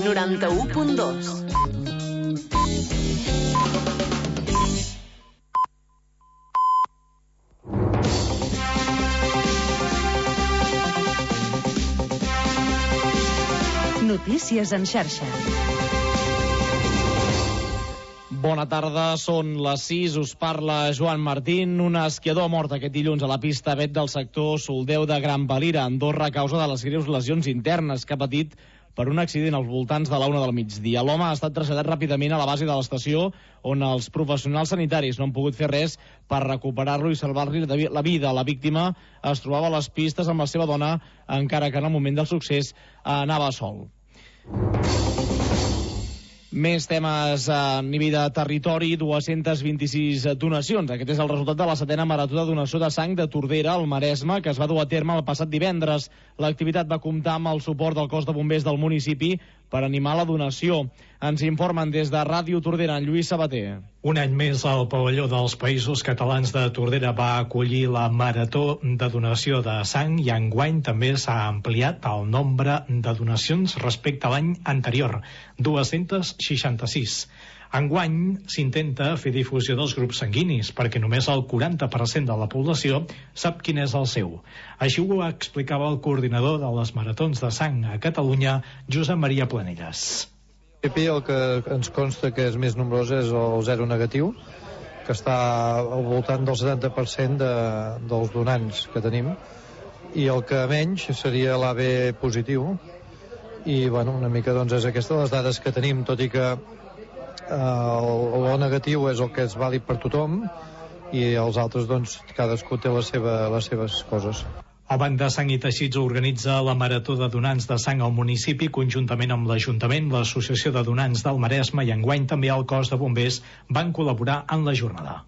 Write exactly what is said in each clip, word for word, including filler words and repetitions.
noranta-u punt dos. Notícies en xarxa. Bona tarda, són les sis, us parla Joan Martín. Un esquiador ha mort aquest dilluns a la pista Bet del sector Soldeu de Gran Valira, a Andorra, a causa de les greus lesions internes que ha patit per un accident als voltants de la una del migdia. L'home ha estat traslladat ràpidament a la base de l'estació, on els professionals sanitaris no han pogut fer res per recuperar-lo i salvar-li la vida. La víctima es trobava a les pistes amb la seva dona, encara que en el moment del succés anava sol. Més temes a nivell de territori, dues-centes vint-i-sis donacions. Aquest és el resultat de la setena marató de donació de sang de Tordera, al Maresme, que es va dur a terme el passat divendres. L'activitat va comptar amb el suport del cos de bombers del municipi per animar la donació. Ens informen des de Ràdio Tordera, en Lluís Sabater. Un any més, el pavelló dels Països Catalans de Tordera va acollir la marató de donació de sang i enguany també s'ha ampliat el nombre de donacions respecte a l'any anterior, dues-centes seixanta-sis. Enguany s'intenta fer difusió dels grups sanguinis perquè només el quaranta per cent de la població sap quin és el seu. Així ho explicava el coordinador de les maratons de sang a Catalunya, Josep Maria Planelles. El que ens consta que és més nombrós és el zero negatiu, que està al voltant del setanta per cent de, dels donants que tenim, i el que menys seria l'A B positiu, i bueno, una mica doncs és aquesta les dades que tenim, tot i que eh, el O negatiu és el que és vàlid per tothom, i els altres doncs cadascú té la seva, les seves coses. El Banc de Sang i Teixits organitza la Marató de Donants de Sang al municipi conjuntament amb l'Ajuntament, l'Associació de Donants del Maresme i enguany també el cos de bombers van col·laborar en la jornada.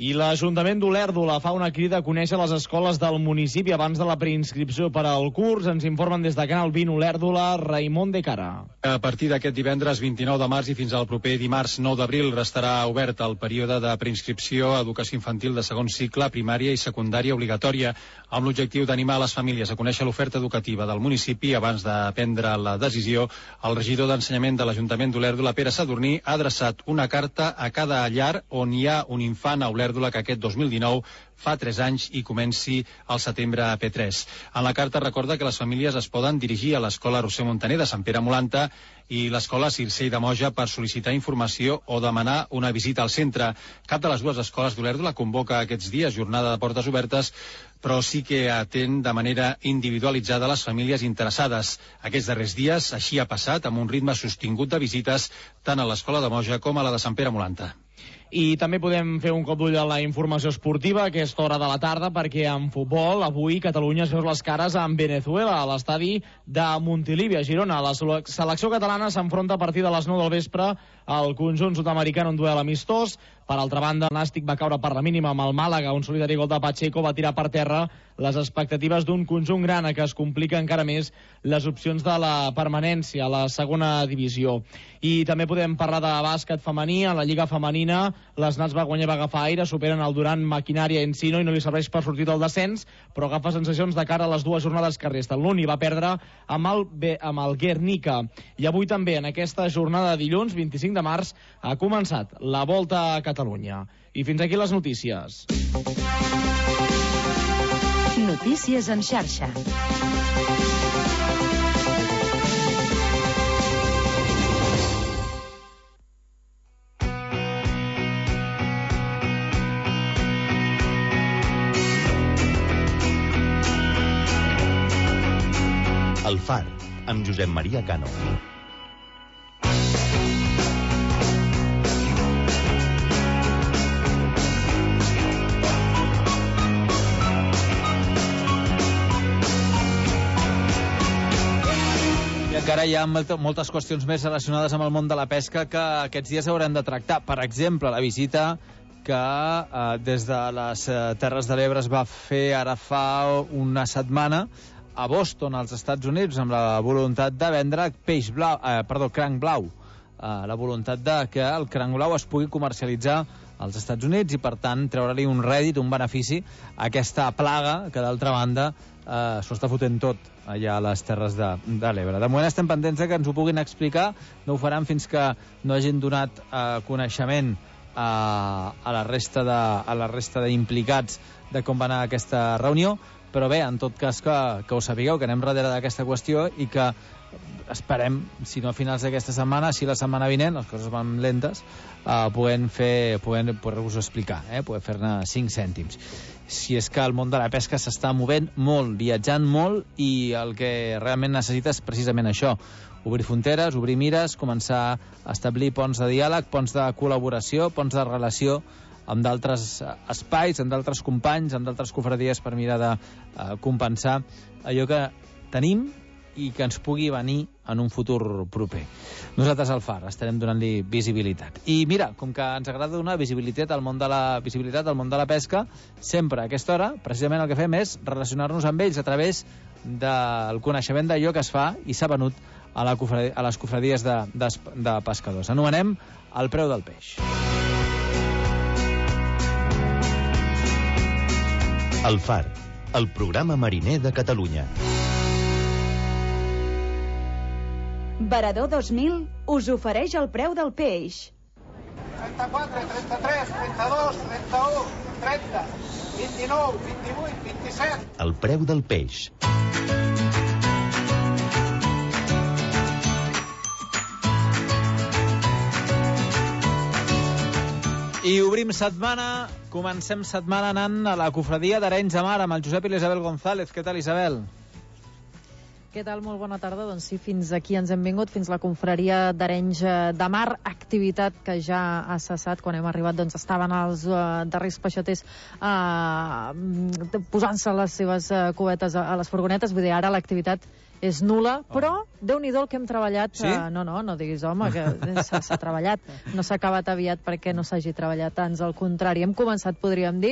I l'Ajuntament d'Olèrdola fa una crida a conèixer les escoles del municipi abans de la preinscripció per al curs. Ens informen des de Canal vint Olèrdola, Raimon de Cara. A partir d'aquest divendres vint-i-nou de març i fins al proper dimarts nou d'abril restarà obert el període de preinscripció a educació infantil de segon cicle, primària i secundària obligatòria, amb l'objectiu d'animar les famílies a conèixer l'oferta educativa del municipi abans de prendre la decisió. El regidor d'Ensenyament de l'Ajuntament d'Olèrdola, Pere Sadurní, ha adreçat una carta a cada llar on hi ha un infant a Olèrdola que aquest dos mil dinou fa tres anys i comenci al setembre a P tres. En la carta recorda que les famílies es poden dirigir a l'escola Roser Montaner de Sant Pere Molanta i l'escola Circell de Moja per sol·licitar informació o demanar una visita al centre. Cap de les dues escoles d'Olèrdola convoca aquests dies jornada de portes obertes, però sí que atén de manera individualitzada les famílies interessades. Aquests darrers dies així ha passat, amb un ritme sostingut de visites tant a l'escola de Moja com a la de Sant Pere Molanta. I també podem fer un cop d'ull a la informació esportiva a aquesta hora de la tarda, perquè en futbol avui Catalunya es veu les cares amb Venezuela a l'estadi de Montilivi, a Girona. La selecció catalana s'enfronta a partir de les nou del vespre al conjunt sud-americà en un duel amistós. Per altra banda, el Nàstic va caure per la mínima amb el Màlaga. Un solitari gol de Pacheco va tirar per terra les expectatives d'un conjunt grana, que es complica encara més les opcions de la permanència a la segona divisió. I també podem parlar de bàsquet femení. A la Lliga femenina, les Nats va guanyar, va agafar aire, superen el Duran Maquinària Encino i no li serveix per sortir del descens, però agafa sensacions de cara a les dues jornades que resten. L'Uni va perdre amb el, amb el Guernica. I avui també, en aquesta jornada de dilluns, vint-i-cinc de març, ha començat la Volta a Catalunya. I fins aquí les notícies. Notícies en xarxa. El Far, amb Josep Maria Cano. I encara hi ha moltes qüestions més relacionades amb el món de la pesca que aquests dies haurem de tractar. Per exemple, la visita que eh, des de les eh, Terres de l'Ebre es va fer ara fa una setmana a Boston, als Estats Units, amb la voluntat de vendre peix blau, eh, perdó, cranc blau. Eh, la voluntat de que el cranc blau es pugui comercialitzar als Estats Units i, per tant, treure-li un rèdit, un benefici a aquesta plaga que, d'altra banda, eh, s'ho està fotent tot allà a les Terres de, de l'Ebre. De moment estem pendents que ens ho puguin explicar, no ho faran fins que no hagin donat eh, coneixement a, a la resta de, a la resta d'implicats de com va anar aquesta reunió, però bé, en tot cas que, que ho sapigueu, que anem darrere d'aquesta qüestió i que esperem, si no a finals d'aquesta setmana, si la setmana vinent, les coses van lentes, eh, podem fer, podem poder-vos explicar, eh, poder fer-ne cinc cèntims. Si és que el món de la pesca s'està movent molt, viatjant molt, i el que realment necessita és precisament això, obrir fronteres, obrir mires, començar a establir ponts de diàleg, ponts de col·laboració, ponts de relació amb d'altres espais, amb d'altres companys, amb d'altres cofradies per mirar de eh, compensar allò que tenim i que ens pugui venir en un futur proper. Nosaltres al Far estarem donant-li visibilitat. I mira, com que ens agrada donar visibilitat al món de la visibilitat al món de la pesca, sempre a aquesta hora, precisament el que fem és relacionar-nos amb ells a través del coneixement d'allò que es fa i s'ha venut a, la cofradia, a les cofradies de, de, de pescadors. Anomenem el preu del peix. El Far, el programa mariner de Catalunya. Varador dos mil us ofereix el preu del peix. trenta-quatre, trenta-tres, trenta-dos, trenta-u, trenta, vint-i-nou, vint-i-vuit, vint-i-set. El preu del peix. I obrim setmana, comencem setmana anant a la cofradia d'Arenys de Mar amb el Josep i l'Isabel González. Què tal, Isabel? Què tal? Molt bona tarda. Doncs sí, fins aquí ens hem vingut, fins la confraria d'Arenys de Mar, activitat que ja ha cessat. Quan hem arribat doncs estaven els uh, darrers peixaters uh, posant-se les seves uh, cubetes a, a les furgonetes. Vull dir, ara l'activitat és nul·la, però oh. Déu-n'hi-do el que hem treballat. Sí? Uh, no, no, no diguis, home, que s'ha treballat. No s'ha acabat aviat perquè no s'hagi treballat, ans al contrari. Hem començat, podríem dir,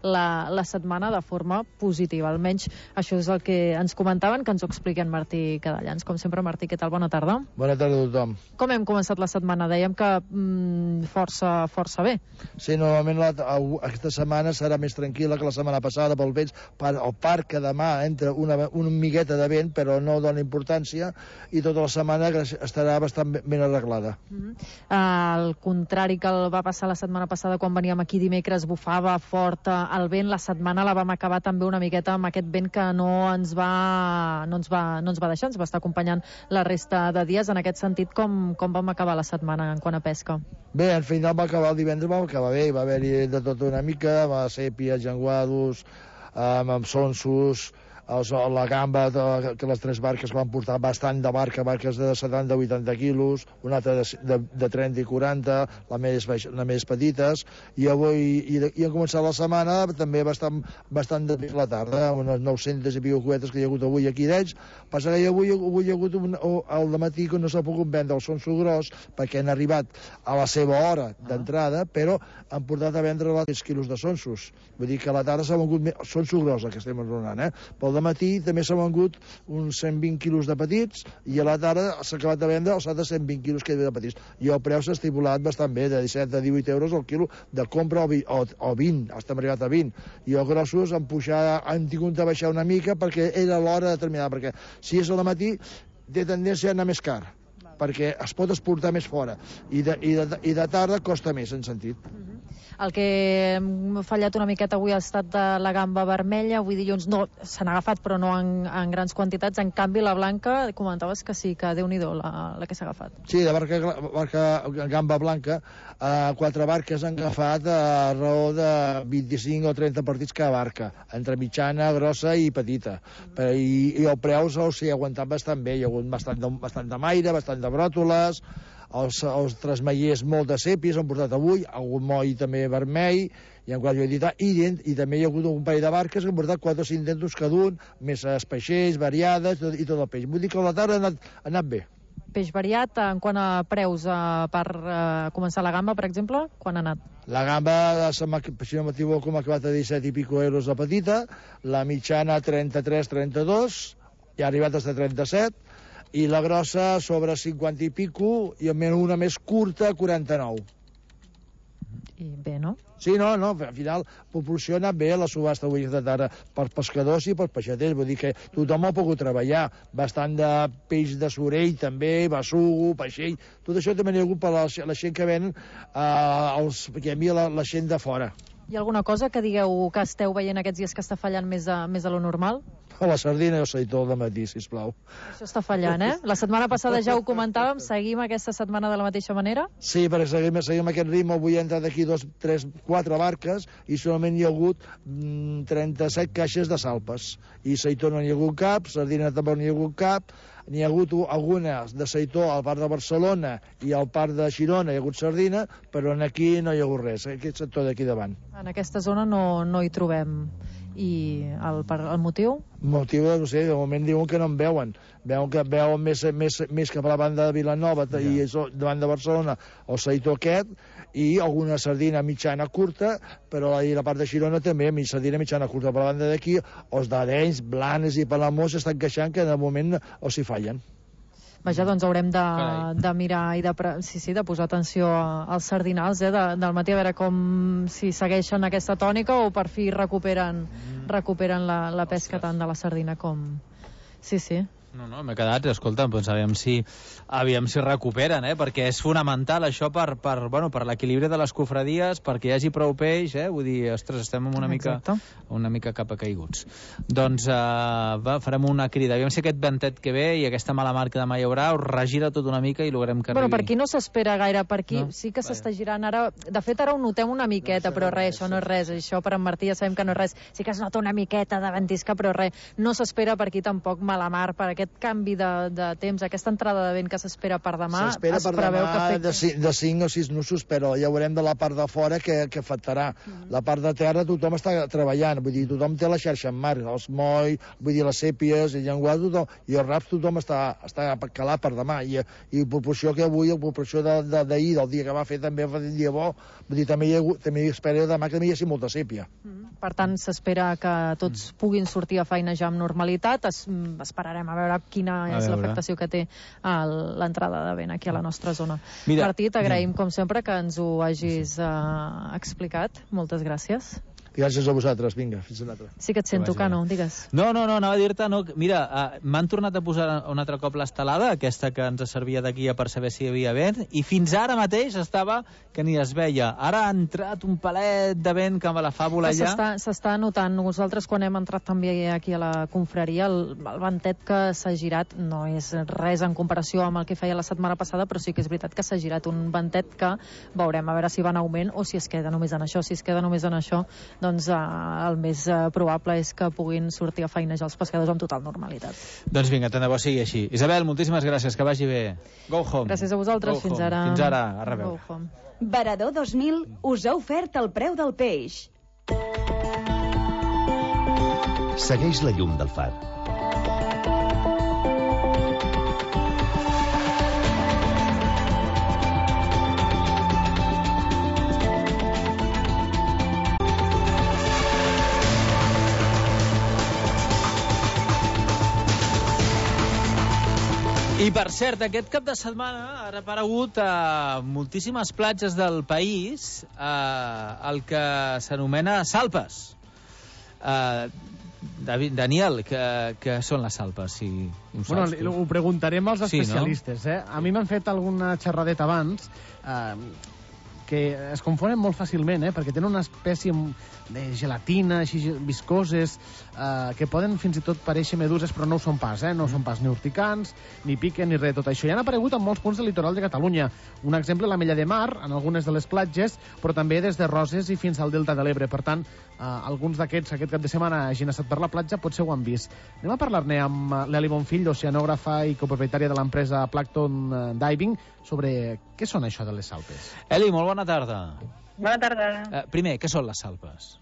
la, la setmana de forma positiva. Almenys això és el que ens comentaven, que ens ho expliquen Martí Cadellans. Com sempre, Martí, què tal? Bona tarda. Bona tarda a tothom. Com hem començat la setmana? Dèiem que mm, força, força bé. Sí, normalment la, aquesta setmana serà més tranquil·la que la setmana passada pel vents. El parc que demà entra una, una migueta de vent, però no dona importància, i tota la setmana estarà bastant ben arreglada. Mm-hmm. Al contrari que el va passar la setmana passada, quan veníem aquí dimecres, bufava fort el vent. La setmana la vam acabar també una miqueta amb aquest vent que no ens va, no ens va, no ens va deixar, ens va estar acompanyant la resta de dies. En aquest sentit, com, com vam acabar la setmana en quant a pesca? Bé, al final va acabar el divendres, va acabar bé, va haver-hi de tot una mica, va sèpies, llenguados, amb, amb sonsos, la gamba, que les tres barques van portar bastant de barca, barques de setanta a vuitanta quilos, una altra de, de, de trenta i quaranta, la més, la més petites, i avui, i, i ha començat la setmana també bastant, bastant de la tarda, unes nou-centes i pico cubetes que hi ha hagut avui aquí d'ells. Passa que avui, avui hi ha hagut un, al dematí que no s'ha pogut vendre el sonso gros perquè han arribat a la seva hora d'entrada, però han portat a vendre tres quilos de sonsos. Vull dir que a la tarda s'ha vengut sonso gros, el que estem enronant, eh? Pel matí també s'ha vengut uns cent vint quilos de petits, i a la tarda s'ha acabat de vendre els altres cent vint quilos que hi havia de petits, i el preu s'ha estipulat bastant bé, de disset a divuit euros el quilo de compra, o, o vint, estem arribat a vint, i els grossos han pujat, han tingut de baixar una mica perquè era l'hora determinada, perquè si és al matí té tendència a anar més car, perquè es pot exportar més fora, i de, i de, i de tarda costa més, en sentit. Mm-hmm. El que hem fallat una miqueta avui ha estat de la gamba vermella. Avui dilluns no, se n'ha agafat, però no en, en grans quantitats. En canvi, la blanca, comentaves que sí, que Déu-n'hi-do la, la que s'ha agafat. Sí, de barca, barca gamba blanca, eh, quatre barques han agafat a raó de vint-i-cinc o trenta partits cada barca, entre mitjana, grossa i petita. Mm. I, i el preu s'ha sí, aguantat bastant bé. Hi ha hagut bastant de, bastant de maire, bastant de bròtoles, els, els trasmaiers molt de sèpies han portat avui, algun moll també vermell, i, en qual jo he dit, i, i també hi ha hagut un parell de barques que han portat quatre o cinc dentos cada un, més espeixers, variades, i tot el peix. Vull dir que la tarda ha anat, ha anat bé. Peix variat, en quant a preus, eh, per eh, començar la gamba, per exemple, quan ha anat? La gamba, si no m'equivoco, m'ha acabat a disset i pico euros la petita, la mitjana trenta-tres trenta-dos, i ha arribat fins a trenta-set, i la grossa sobre cinquanta i pico, i almenys una més curta, quaranta-nou. I bé, no? Sí, no, no, al final proporciona bé la subhasta avui de tarda per pescadors i per peixaters, vull dir que tothom ha pogut treballar, bastant de peix de sorell també, bessugo, peixell, tot això també n'hi ha hagut per la, la gent que ven, eh, els, que hi havia la, la gent de fora. Hi ha alguna cosa que digueu que esteu veient aquests dies que està fallant més de, més de lo normal? La sardina i el seitó de matí, sisplau. Això està fallant, eh? La setmana passada ja ho comentàvem, seguim aquesta setmana de la mateixa manera? Sí, perquè seguim, seguim aquest ritme, avui ha entrat aquí dos, tres, quatre barques i solament hi ha hagut mm, trenta-set caixes de salpes. I seitó no n'hi ha hagut cap, sardina tampoc n'hi ha hagut cap, n'hi ha hagut algunes de seitó al parc de Barcelona i al parc de Girona hi ha hagut sardina, però aquí no hi ha hagut res, aquest sector d'aquí davant. En aquesta zona no, no hi trobem. I el, el motiu? El motiu, no sé, de moment diuen que no en veuen. Veuen que veuen més, més, més cap a la banda de Vilanova ja. I davant de Barcelona el seitó aquest i alguna sardina mitjana curta, però a la part de Girona també, sardina mitjana curta. Per la banda d'aquí, els d'Arenys, Blanes i Palamós estan queixant que de moment els hi fallen. Vaja, doncs haurem de, de mirar i de, sí, sí, de posar atenció als sardinals eh, de, del matí, a veure com si segueixen aquesta tònica o per fi recuperen, recuperen la, la pesca tant de la sardina com... Sí, sí. No, no, m'he quedat, escolta, doncs aviam si, aviam si recuperen, eh? Perquè és fonamental això per, per, bueno, per l'equilibri de les cofradies, perquè hi hagi prou peix, eh? Vull dir, ostres, estem una mica, una mica cap a caiguts. Doncs uh, va, farem una crida. Aviam si aquest ventet que ve i aquesta mala mar que demà hi haurà us regira tot una mica i logrem que arribi. Bueno, per aquí no s'espera gaire, per aquí no? Sí que Vaja. S'està girant ara. De fet, ara ho notem una miqueta, no, però res, això no és res. Això per en Martí ja sabem que no és res. Sí que es nota una miqueta de ventisca, però res. No s'espera per aquí tampoc mala mar, per aquest canvi de, de temps, aquesta entrada de vent que s'espera per demà, s'espera es per preveu demà que afecti... de, cinc, de cinc o sis nusos, però ja veurem de la part de fora que, que afectarà. Mm. La part de terra tothom està treballant, vull dir, tothom té la xarxa en mar, els moll, vull dir, les sèpies, el llenguat, tothom, i els raps tothom està, està calat per demà, i, i proporció que avui, la proporció d'ahir, de, de, del dia que va fer, també va dir dia bo, vull dir, també hi, ha, també hi espera demà que també hi hagi molta sèpia. Mm. Per tant, s'espera que tots mm. puguin sortir a feinejar amb normalitat. Es, esperarem a veure quina és l'afectació que té l'entrada de vent aquí a la nostra zona. Mira, Martí, t'agraïm, com sempre, que ens ho hagis uh, explicat. Moltes gràcies. Gràcies a vosaltres, vinga, fins una altra. Sí que et sento, Cano, digues. No, no, no, anava a dir-te, no, mira, uh, m'han tornat a posar un altre cop l'estelada, aquesta que ens servia de guia per saber si hi havia vent, i fins ara mateix estava que ni es veia. Ara ha entrat un palet de vent que me la fa volar allà. S'està notant. Nosaltres, quan hem entrat també aquí a la confraria, el, el ventet que s'ha girat no és res en comparació amb el que feia la setmana passada, però sí que és veritat que s'ha girat un ventet que veurem a veure si va en augment o si es queda només en això. Si es queda només en això, doncs eh, el més eh, probable és que puguin sortir a feinejar els pescadors amb total normalitat. Doncs vinga, tant de bo sigui així. Isabel, moltíssimes gràcies, que vagi bé. Go home. Gràcies a vosaltres, Go fins home. ara. Fins ara, a reveure. Go home. Varador dos mil us ha ofert el preu del peix. Segueix la llum del far. I per cert, aquest cap de setmana ha aparegut a moltíssimes platges del país eh, el que s'anomena salpes. Eh, David, Daniel, què, què són les salpes? Si ho bueno, saps, ho preguntarem als sí, especialistes. No? Eh? A mi m'han fet alguna xerradeta abans eh, que es confonen molt fàcilment, eh? Perquè tenen una espècie de gelatina, així viscoses, eh, que poden fins i tot parèixer meduses, però no ho són pas, eh? No són pas ni urticants, ni piquen, ni res de tot això. I han aparegut en molts punts del litoral de Catalunya. Un exemple, la Mella de Mar, en algunes de les platges, però també des de Roses i fins al Delta de l'Ebre. Per tant, eh, alguns d'aquests, aquest cap de setmana, hagin estat per la platja, potser ho han vist. Anem a parlar-ne amb l'Eli Bonfill, oceanògrafa i copropietària de l'empresa Plankton Diving, sobre què són això de les salpes. Eli, molt bona tarda. Bona tarda. Eh, primer, què són les salpes?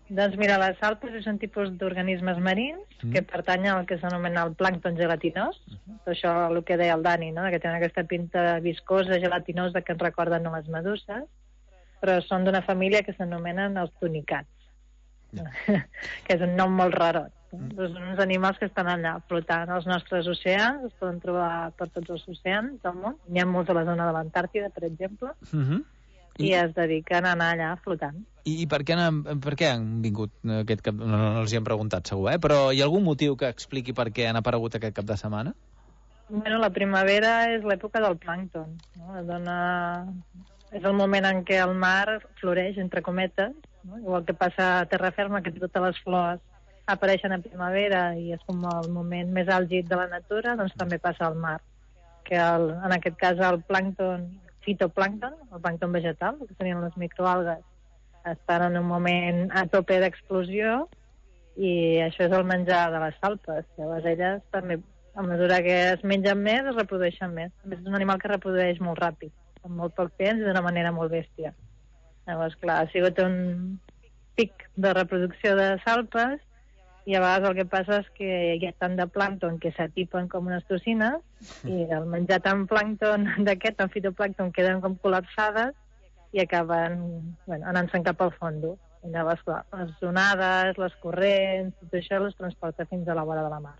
Doncs mira, les salpes és un tipus d'organismes marins mm. que pertanyen al que s'anomena el plàncton gelatinós. Uh -huh. Això el que deia el Dani, no? Que tenen aquesta pinta viscosa, gelatinosa, que ens recorden a les meduses, però són d'una família que s'anomenen els tunicats, yeah. que és un nom molt rarot. Mm. Són uns animals que estan allà flotant als nostres oceans, es poden trobar per tots els oceans del món. N'hi ha molts a la zona de l'Antàrtida, per exemple. Uh -huh. i, i es dediquen a anar allà flotant. I, i per, què han, per què han vingut aquest cap... No, no, no els hi hem preguntat, segur, eh? Però hi ha algun motiu que expliqui per què han aparegut aquest cap de setmana? Bueno, la primavera és l'època del plàncton, no? Dona... És el moment en què el mar floreix, entre cometes, no? Igual que passa a terra ferma, que totes les flors apareixen a primavera i és com el moment més àlgid de la natura, doncs també passa al mar, que el, en aquest cas el plàncton, fitoplàncton, el plàncton vegetal, que serien les microalgues, estan en un moment a tope d'explosió i això és el menjar de les salpes. Llavors elles també, a mesura que es mengen més, es reprodueixen més. A més, és un animal que reprodueix molt ràpid, en molt poc temps i d'una manera molt bèstia. Llavors, clar, ha sigut un pic de reproducció de salpes i a vegades el que passa és que hi ha tant de plàncton que s'atipen com unes tocines i al menjar tant plàncton d'aquest, tant fitoplàncton, queden com col·lapsades i acaben bueno, anant-se'n cap al fondo. I llavors, clar, les onades, les corrents, tot això les transporta fins a la vora de la mar.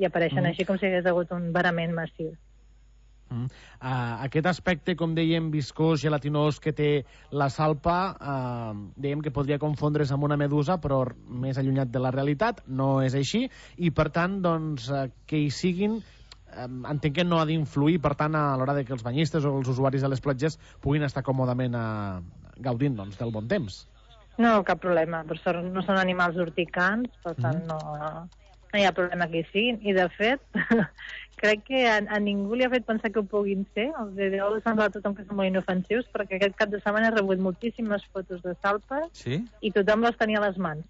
I apareixen mm. així com si hagués hagut un varament massiu. Mm. Uh, aquest aspecte, com dèiem, viscós, gelatinós que té la salpa, uh, dèiem que podria confondre's amb una medusa, però més allunyat de la realitat, no és així, i per tant, doncs, uh, que hi siguin, uh, entenc que no ha d'influir, per tant, a l'hora de que els banyistes o els usuaris de les platges puguin estar còmodament uh, gaudint doncs, del bon temps. No, cap problema, per sort no són animals urticants, per tant, mm. no... no hi ha problema que hi siguin, i de fet crec que a, a ningú li ha fet pensar que ho puguin ser, els deu semblar a tothom que són molt inofensius, perquè aquest cap de setmana he rebut moltíssimes fotos de salpes sí? i tothom les tenia a les mans.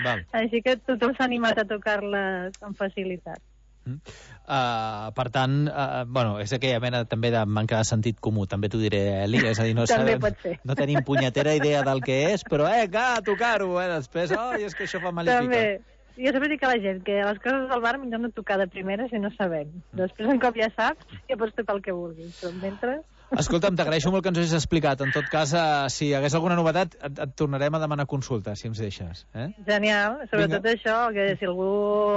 Val. Així que tothom s'ha animat a tocar-les amb facilitat. Mm. Uh, per tant, uh, bueno, és aquella mena també de manca de sentit comú, també t'ho diré, Eli, és a dir, no, també sabem, pot ser. No tenim punyetera idea del que és, però eh, que a tocar-ho, eh, després, oh, és que això fa malífica. També. Jo sempre dic a la gent que les coses del bar millor no tocar de primera si no sabem. Després, un cop ja saps, ja pots tocar el que vulguis. Però mentre... Escolta'm, t'agraeixo molt que ens ho hagis explicat. En tot cas, uh, si hi hagués alguna novetat, et, et tornarem a demanar consulta, si ens deixes. Eh? Genial. Sobretot Vinga. això, que si algú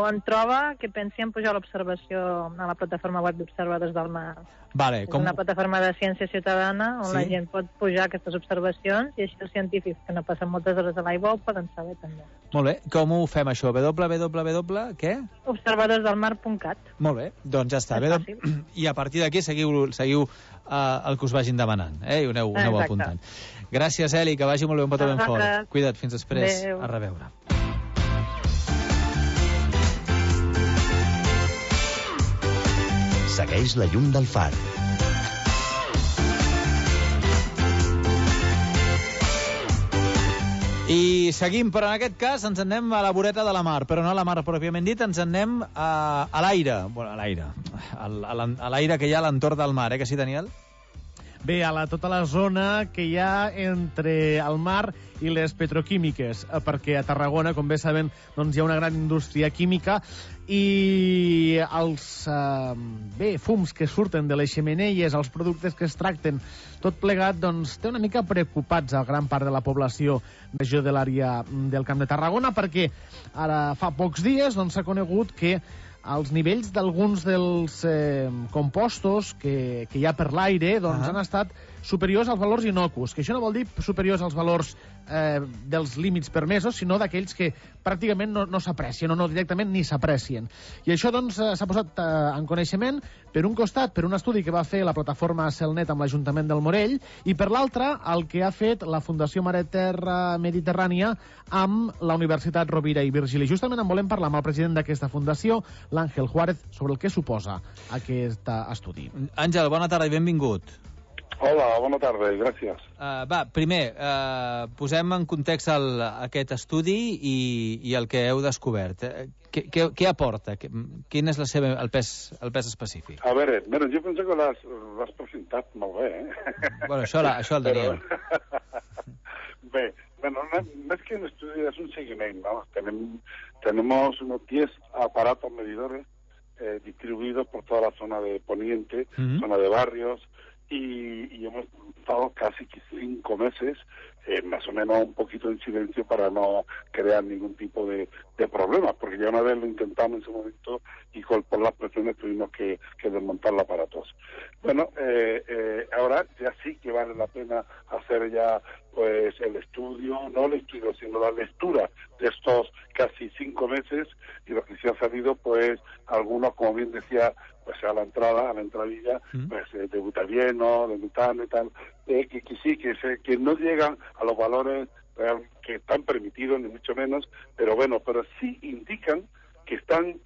en troba, que pensi en pujar l'observació a la plataforma web d'Observadors del Mar. Vale, és com... una plataforma de ciència ciutadana on sí? la gent pot pujar aquestes observacions i així els científics que no passen moltes hores a l'aigua ho poden saber també. Molt bé. Com ho fem, això? www... què? observadors del mar punt cat. Molt bé. Doncs ja està. W... I a partir d'aquí seguiu, seguiu uh, el que us vagin demanant, eh? I ho aneu, aneu apuntant. Gràcies, Eli, que vagi molt bé, un petó ben fort. Cuida't, fins després. Adéu. A reveure. Segueix la llum del far. I seguim, però en aquest cas ens en anem a la voreta de la mar, però no a la mar pròpiament dit, ens en anem a, a l'aire, bueno, a l'aire, a l'aire que hi ha a l'entorn del mar, eh, que sí, Daniel? Bé, a la, tota la zona que hi ha entre el mar i les petroquímiques, perquè a Tarragona, com bé saben, doncs hi ha una gran indústria química i els eh, bé, fums que surten de les xemeneies, els productes que es tracten, tot plegat, doncs té una mica preocupats a gran part de la població regió de l'àrea del Camp de Tarragona, perquè ara fa pocs dies doncs s'ha conegut que els nivells d'alguns dels eh, compostos que, que hi ha per l'aire doncs, uh-huh. han estat superiors als valors innocus, que això no vol dir superiors als valors eh, dels límits permesos, sinó d'aquells que pràcticament no, no s'aprecien o no directament ni s'aprecien. I això doncs s'ha posat eh, en coneixement per un costat, per un estudi que va fer la plataforma Celnet amb l'Ajuntament del Morell i per l'altre el que ha fet la Fundació Mare Terra Mediterrània amb la Universitat Rovira i Virgili. Justament en volem parlar amb el president d'aquesta fundació, l'Àngel Juárez, sobre el que suposa aquest estudi. Àngel, bona tarda i benvingut. Hola, bona tarda, gràcies. Uh, va, primer, uh, posem en context el, aquest estudi i, i el que heu descobert. Què, què, què aporta? Quin és la seva, el, pes, el pes específic? A veure, bueno, jo penso que l'has presentat molt bé, eh? Bueno, això, la, això el Daniel. Però... Bé, bueno, no, no es que un estudi, es un seguimiento, ¿no? Tenem, tenemos unos diez aparatos medidores eh, distribuidos por toda la zona de Poniente, uh-huh. zona de barrios, Y, y hemos estado casi cinco meses eh, más o menos un poquito en silencio para no crear ningún tipo de, de problemas, porque ya una vez lo intentamos en su momento y con, por las presiones tuvimos que, que desmontar los aparatos. Bueno, eh, eh, ahora ya sí que vale la pena hacer ya pues el estudio, no el estudio, sino la lectura de estos casi cinco meses, y los que se han salido, pues algunos, como bien decía, pues a la entrada, a la entradilla, pues eh, de butadieno, de metano y tal, eh, que, que sí, que, se, que no llegan a los valores real, que están permitidos, ni mucho menos, pero bueno, pero sí indican que están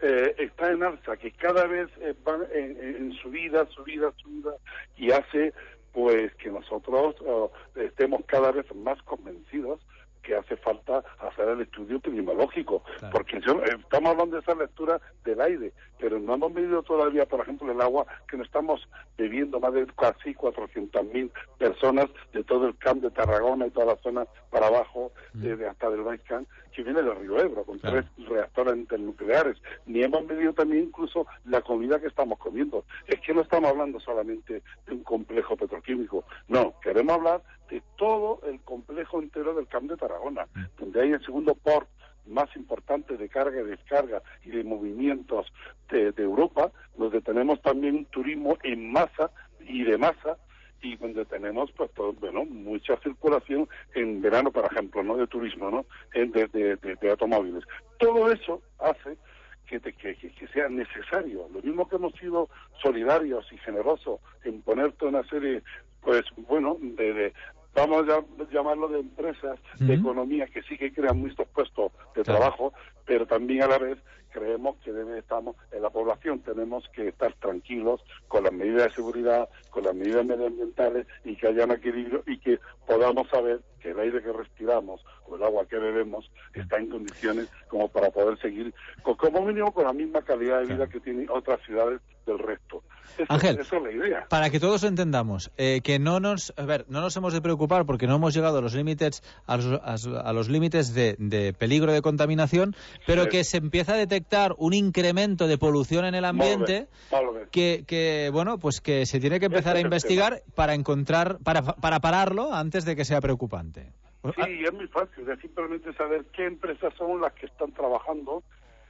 eh, está en alza, que cada vez eh, van en, en subida, subida, subida, y hace pues que nosotros uh, estemos cada vez más convencidos que hace falta hacer el estudio epidemiológico, claro. Porque yo, eh, estamos hablando de esa lectura del aire, pero no hemos medido todavía, por ejemplo, el agua, que no estamos bebiendo más de casi cuatrocientas mil personas de todo el camp de Tarragona y toda la zona para abajo, mm. de, de hasta del Baixcan, que viene del río Ebro, con claro. tres reactores internucleares. Ni hemos medido también incluso la comida que estamos comiendo. Es que no estamos hablando solamente de un complejo petroquímico, no, queremos hablar de todo el complejo entero del camp de Tarragona, mm. donde hay el segundo port más importante de carga y descarga y de movimientos de, de Europa, donde tenemos también un turismo en masa y de masa, y donde tenemos pues todo, bueno, mucha circulación en verano, por ejemplo, no de turismo, no de, de, de, de automóviles. Todo eso hace que, te, que, que sea necesario. Lo mismo que hemos sido solidarios y generosos en poner toda una serie, pues bueno, de, de vamos a llamarlo de empresas, uh-huh. de economía, que sí que crean muchos puestos de claro. trabajo, pero también a la vez creemos que debe, estamos en la población tenemos que estar tranquilos con las medidas de seguridad, con las medidas medioambientales, y que haya un equilibrio y que podamos saber que el aire que respiramos o el agua que bebemos está en condiciones como para poder seguir, con, como mínimo, con la misma calidad de vida claro. que tienen otras ciudades del resto. Eso, Ángel, esa es la idea. Para que todos lo entendamos, eh, que no nos, a ver, no nos hemos de preocupar porque no hemos llegado a los límites, a los, a los límites de, de peligro de contaminación, pero sí. que se empieza a detectar un incremento de polución en el ambiente, vale, vale. que, que bueno, pues que se tiene que empezar Ese a investigar para encontrar, para, para pararlo antes de que sea preocupante. Sí, es muy fácil, es simplemente saber qué empresas son las que están trabajando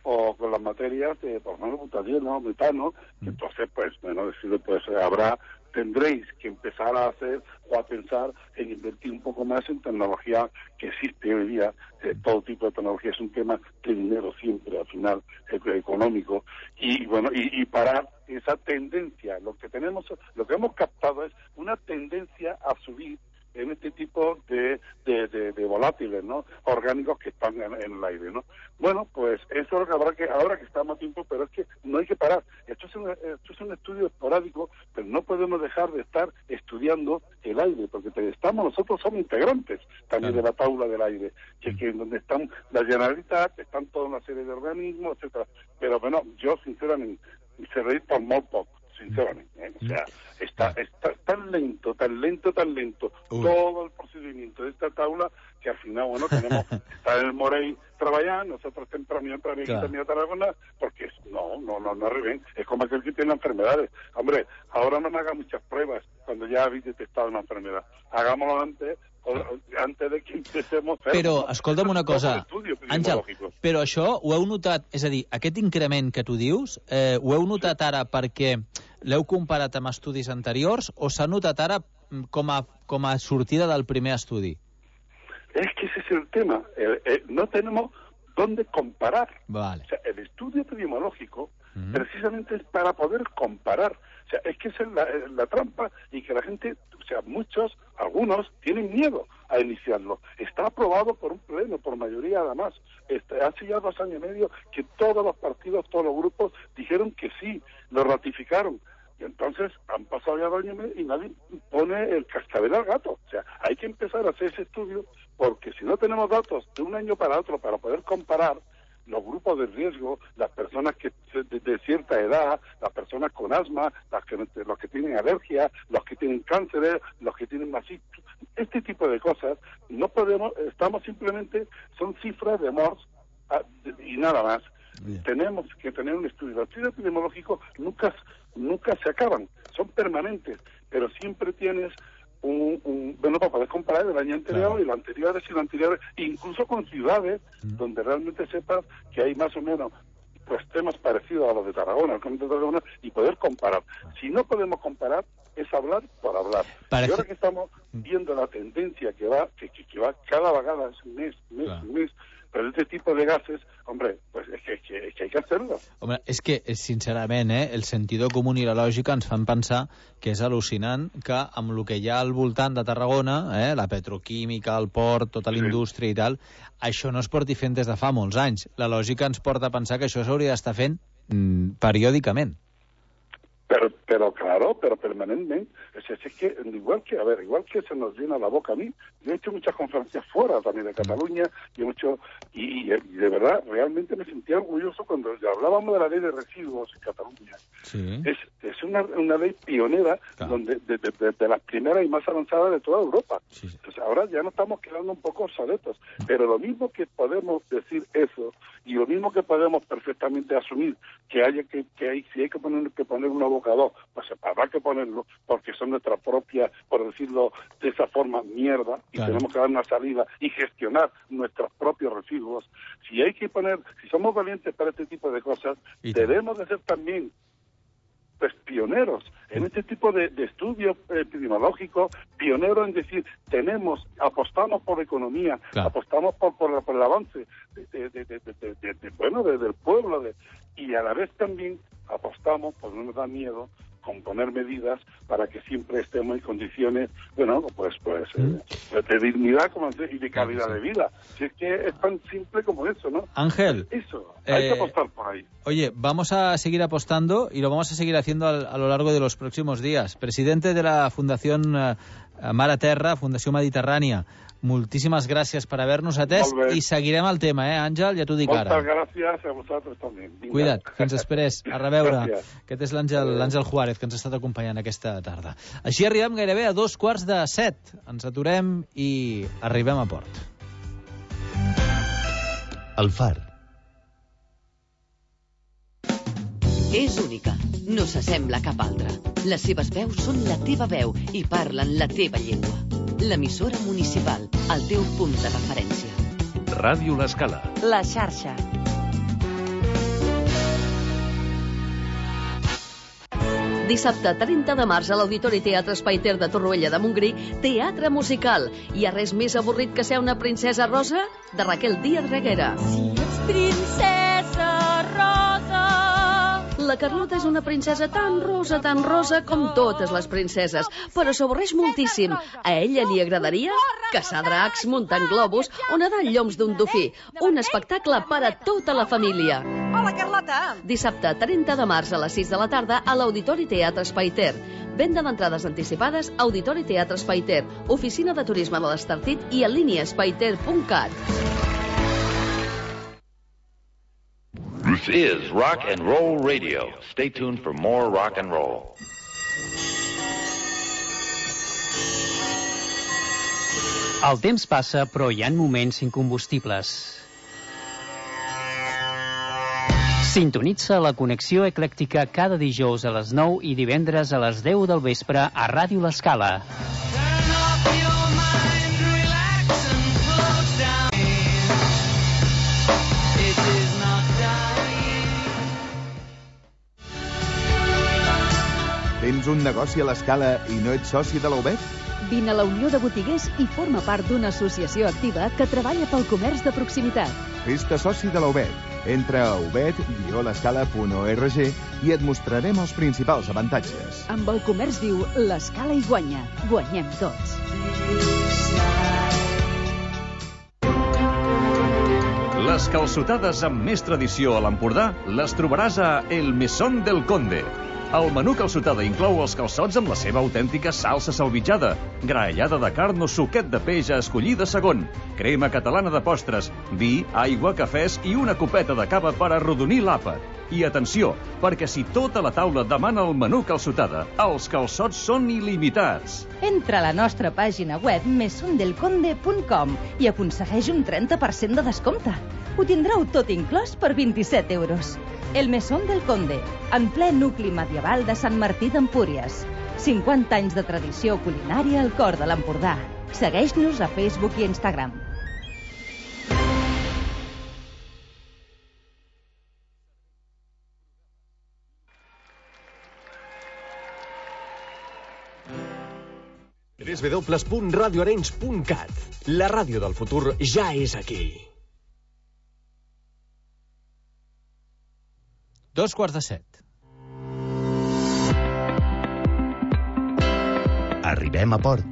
o con las materias de, por ejemplo, butadieno, metano, mm. entonces, pues, bueno, decirle, pues, habrá, tendréis que empezar a hacer o a pensar en invertir un poco más en tecnología que existe hoy día. Eh, todo tipo de tecnología es un tema de dinero siempre, al final, eh, económico, y, bueno, y, y parar esa tendencia. Lo que tenemos, lo que hemos captado es una tendencia a subir en este tipo de, de, de, de volátiles, ¿no? Orgánicos que están en, en el aire, ¿no? Bueno, pues eso es lo que habrá que, ahora que estamos a tiempo, pero es que no hay que parar. Esto es un, esto es un estudio esporádico, pero no podemos dejar de estar estudiando el aire, porque estamos, nosotros somos integrantes también claro. de la tabla del aire, que, que donde están la Generalitat, están toda una serie de organismos, etcétera. Pero bueno, yo sinceramente, se reí por muy poco. Sinceramente, ¿eh? O sea, está, está tan lento, tan lento, tan lento Uy. todo el procedimiento de esta tabla que al final, bueno, tenemos está el Morey trabajando, nosotros temprano para aquí también a Tarragona, porque no, no, no, no arriben, es como aquel que tiene enfermedades. Hombre, ahora no me haga muchas pruebas cuando ya habéis detectado una enfermedad. Hagámoslo antes, antes de que empecemos... Però, escolta'm una cosa, Àngel, però això ho heu notat, és a dir, aquest increment que tu dius, eh, ho heu notat ara perquè l'heu comparat amb estudis anteriors o s'ha notat ara com a, com a sortida del primer estudi? Es que ese es el tema, eh, eh, no tenemos dónde comparar. Vale. O sea, el estudio epidemiológico mm. precisamente es para poder comparar. O sea, es que esa es la, la trampa y que la gente, o sea, muchos, algunos, tienen miedo a iniciarlo. Está aprobado por un pleno, por mayoría además. Este, hace ya dos años y medio que todos los partidos, todos los grupos dijeron que sí, lo ratificaron. Y entonces han pasado ya dos años y medio y nadie pone el cascabel al gato. O sea, hay que empezar a hacer ese estudio porque si no tenemos datos de un año para otro para poder comparar los grupos de riesgo, las personas que de, de cierta edad, las personas con asma, las que, los que tienen alergia, los que tienen cánceres, los que tienen masito, este tipo de cosas, no podemos, estamos simplemente, son cifras de M O R S y nada más. Bien. Tenemos que tener un estudio. Los estudios epidemiológicos nunca, nunca se acaban, son permanentes, pero siempre tienes un, un bueno, para poder comparar el año anterior claro. y lo anterior y lo anterior, incluso con ciudades mm. donde realmente sepas que hay más o menos pues temas parecidos a los de Tarragona, el Comité de Tarragona, y poder comparar. Si no podemos comparar, es hablar por hablar. Parece... Y ahora que estamos viendo la tendencia que va, que, que, que va cada vegada, es mes, mes, claro. mes, però este tipo de gases, hombre, pues es que, es que, es que hay que hacerlo. Home, és que, sincerament, eh, el sentido comú i la lògica ens fan pensar que és al·lucinant que amb el que hi ha al voltant de Tarragona, eh, la petroquímica, el port, tota la indústria i tal, això no es porti fent des de fa molts anys. La lògica ens porta a pensar que això s'hauria d'estar fent mm, periòdicament. Pero, pero claro, pero permanentemente. Es, es, es que, igual que, a ver, igual que se nos llena la boca a mí, yo he hecho muchas conferencias fuera también de Cataluña, y he mucho, y, y de verdad, realmente me sentía orgulloso cuando hablábamos de la ley de residuos en Cataluña. Sí. Es, es una, una ley pionera, claro. donde de, de, de, de las primeras y más avanzadas de toda Europa. Sí. Entonces ahora ya nos estamos quedando un poco obsoletos, pero lo mismo que podemos decir eso, y lo mismo que podemos perfectamente asumir que haya que, que hay, si hay que poner que poner un abocador, pues habrá que ponerlo, porque son nuestra propia, por decirlo de esa forma, mierda, y claro. tenemos que dar una salida y gestionar nuestros propios residuos. Si hay que poner, si somos valientes para este tipo de cosas, ¿Y debemos de ser también pues pioneros en este tipo de, de estudios epidemiológicos, pioneros en decir, tenemos, apostamos por economía, claro. apostamos por, por, por el avance de, de, de, de, de, de, de bueno, de, del pueblo, de, y a la vez también apostamos, pues no nos da miedo, con poner medidas para que siempre estemos en condiciones, bueno, pues pues eh, de dignidad como y de calidad de vida. Si es que es tan simple como eso, ¿no? Ángel. Eso, hay eh, que apostar por ahí. Oye, vamos a seguir apostando y lo vamos a seguir haciendo a, a lo largo de los próximos días. Presidente de la Fundación uh, Mar a Terra, Fundació Mediterrània, moltíssimes gràcies per haver-nos atès i seguirem el tema, eh, Àngel? Ja t'ho dic ara. Moltes gràcies a vosaltres també. Vinga. Cuida't, fins després. A reveure. Gràcies. Aquest és l'Àngel Juárez, que ens ha estat acompanyant aquesta tarda. Així arribem gairebé a dos quarts de set. Ens aturem i arribem a port. El Far. És única, no s'assembla a cap altra. Les seves veus són la teva veu i parlen la teva llengua. L'emissora municipal, el teu punt de referència. Ràdio L'Escala. La xarxa. Dissabte trenta de març a l'Auditori Teatre Espai Ter de Torroella de Montgrí, teatre musical. Hi ha res més avorrit que ser una princesa rosa? De Raquel Díaz Reguera. Si ets princesa rosa... La Carlota és una princesa tan rosa, tan rosa com totes les princeses, però s'avorreix moltíssim. A ella li agradaria caçar dracs, muntant globus o nedar en lloms d'un dofí. Un espectacle per a tota la família. Hola, Carlota! Dissabte trenta de març a les sis de la tarda a l'Auditori Teatre Espai Ter. Venda d'entrades anticipades, Auditori Teatre Espai Ter, oficina de turisme de l'Estartit i en línia espaiter punt cat. This is Rock and Roll Radio. Stay tuned for more rock and roll. El temps passa, però hi ha moments incombustibles. Sintonitza la connexió eclèctica cada dijous a les nou i divendres a les deu del vespre a Ràdio L'Escala. Tens un negoci a l'Escala i no ets soci de la U B E T? Vine a la Unió de Botiguers i forma part d'una associació activa que treballa pel comerç de proximitat. Fes-te soci de la U B E T. Entra a u b e t guió l'escala punt org i et mostrarem els principals avantatges. Amb el comerç viu, l'Escala hi guanya. Guanyem tots. Les calçotades amb més tradició a l'Empordà les trobaràs a El Mesón del Conde. El menú calçotada inclou els calçots amb la seva autèntica salsa salvitjada, graellada de carn o suquet de peix a escollir de segon, crema catalana de postres, vi, aigua, cafès i una copeta de cava per arrodonir l'àpat. I atenció, perquè si tota la taula demana el menú calçotada, els calçots són il·limitats. Entra a la nostra pàgina web mesón del conde punt com i aconsegueix un trenta per cent de descompte. Ho tindreu tot inclòs per vint-i-set euros. El Mesón del Conde, en ple nucli medieval de Sant Martí d'Empúries. cinquanta anys de tradició culinària al cor de l'Empordà. Segueix-nos a Facebook i Instagram. w w w punt radio arenys punt cat. La ràdio del futur ja és aquí. Dos quarts de set. Arribem a port.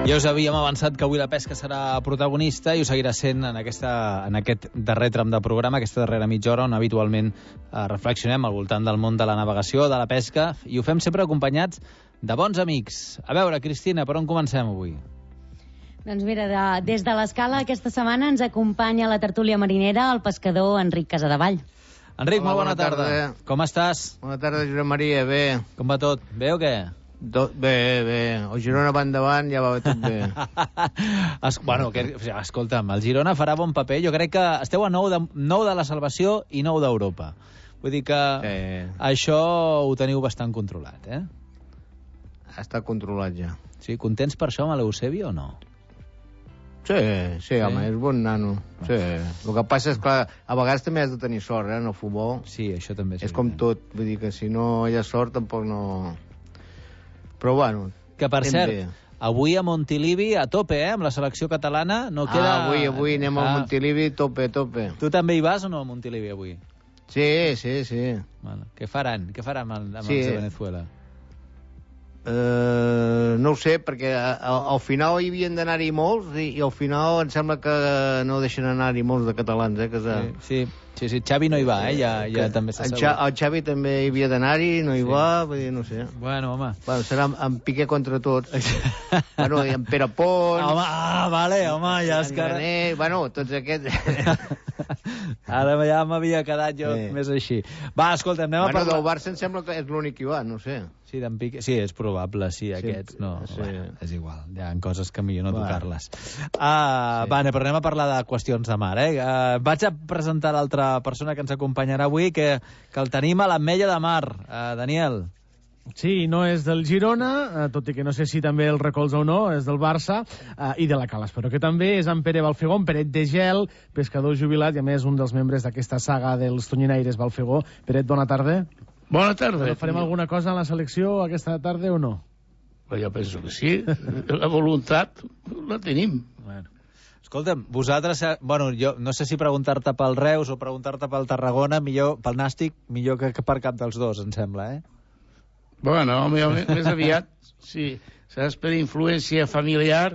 Ja us havíem avançat que avui la pesca serà protagonista i ho seguirà sent en, aquesta, en aquest darrer tram de programa, aquesta darrera mitja hora, on habitualment eh, reflexionem al voltant del món de la navegació, de la pesca, i ho fem sempre acompanyats de bons amics. A veure, Cristina, per on comencem avui? Doncs mira, de, des de l'Escala aquesta setmana ens acompanya a la tertúlia marinera el pescador Enric Casadevall. Enric, Hola, molt bona, bona tarda. tarda. Com estàs? Bona tarda, Josep Maria, bé. Com va tot? Bé o què? Tot bé, bé. El Girona va endavant, ja va tot bé. es, bueno, que, o sigui, escolta'm, el Girona farà bon paper. Jo crec que esteu a nou de, nou de la salvació i nou d'Europa. Vull dir que sí. Això ho teniu bastant controlat, eh? Està controlat ja. Sí, contents per això amb l'Eusebio o no? Sí, sí, home, és bon nano. Sí. El que passa és que, a vegades també has de tenir sort, eh, en el futbol. Sí, això també és És com tot, vull dir que si no hi ha sort tampoc no... Però bueno... Que, per cert, bé. avui a Montilivi a tope, eh, amb la selecció catalana, no queda... Ah, avui, avui anem ah. a Montilivi tope, tope. Tu també hi vas o no a Montilivi avui? Sí, sí, sí. Bueno, què faran? Què faran amb, amb sí. els de Venezuela? Uh, no ho sé, perquè al, al final hi havien d'anar-hi molts i, i al final em sembla que no deixen anar-hi molts de catalans, eh? Que sí, sí, sí, sí, Xavi no hi va, eh? Ja, ja també s'assegura. El, el Xavi també hi havia d'anar-hi, no hi sí. va, vull dir, no sé. Bueno, home. Bueno, serà en Piqué contra tots. Bueno, i en Pere Pons... Home, ah, vale, home, ja és que... Graner, bueno, tots aquests... Ara ja m'havia quedat jo sí. més així. Va, escolta, anem bueno, a parlar... Del Barça em sembla que és l'únic que hi va, no sé. Sí, d'en Piqué... Sí, és probable, sí, aquests no. Sí. Bueno, és igual, hi ha coses que millor no va. tocar-les. Ah, sí. Va, però anem a parlar de qüestions de mar, eh? Uh, vaig a presentar l'altra persona que ens acompanyarà avui, que, que el tenim a l'Ametlla de Mar. Uh, Daniel. Sí, no és del Girona, eh, tot i que no sé si també el recolza o no, és del Barça, eh, i de la Calas, però que també és en Pere Balfegó, en Peret de Gel, pescador jubilat, i a més un dels membres d'aquesta saga dels tonyinaires Balfegó. Peret, bona tarda. Bona tarda. Però farem alguna cosa en la selecció aquesta tarda o no? Jo penso que sí. La voluntat la tenim. Bueno. Escolta'm, vosaltres... Bueno, jo no sé si preguntar-te pel Reus o preguntar-te pel Tarragona, millor pel Nàstic, millor que, que per cap dels dos, em sembla, eh? Bueno, més aviat, sí. Saps, per influència familiar,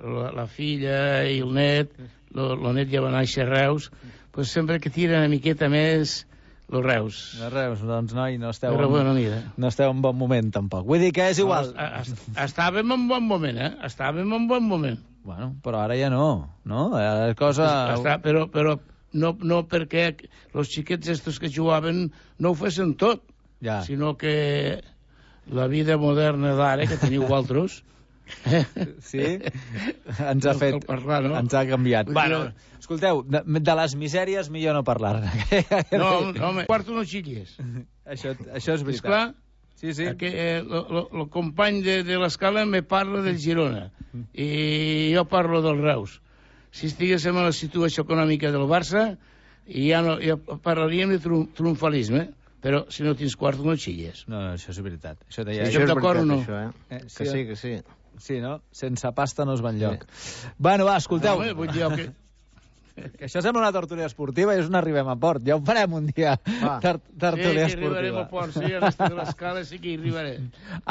la, la filla i el net, el net ja va néixer a Reus, pues sempre que tira una miqueta més... Los Reus. Los Reus, doncs noi, no esteu, Però, en, bueno, mira. no esteu en bon moment tampoc. Vull dir que és igual. No, estàvem en bon moment, eh? Estàvem en bon moment. Bueno, però ara ja no, no? La cosa... Està, però però no, no perquè els xiquets estos que jugaven no ho fessin tot, ja. Sinó que la vida moderna d'ara, que teniu vosaltres... Sí? Ens ha fet... Parlar, no? Ens ha canviat. Bueno, escolteu, de, de les misèries millor no parlar-ne. No, no, home, quarto no xilles. Això, això és veritat. Esclar, sí, sí. Que, eh, lo, lo, lo company de, de l'Escala me parla del Girona i jo parlo del Reus. Si estiguéssim en la situació econòmica del Barça, ja, no, ja parlaríem de triomfalisme. Però si no tens quarto no xilles. No, no, això és veritat. Això, sí, això és d'acord o no? Això, eh? Eh, sí, que sí, que sí. Sí, no? Sense pasta no es va enlloc. Sí. Bueno, va, escolteu. No, vull dir que... que això sembla una tertúlia esportiva i és un arribem a port. Ja ho farem un dia, Tar tertúlia sí, esportiva. Sí, que arribarem a port, sí, a l'estat de l'escala sí que hi arribarem.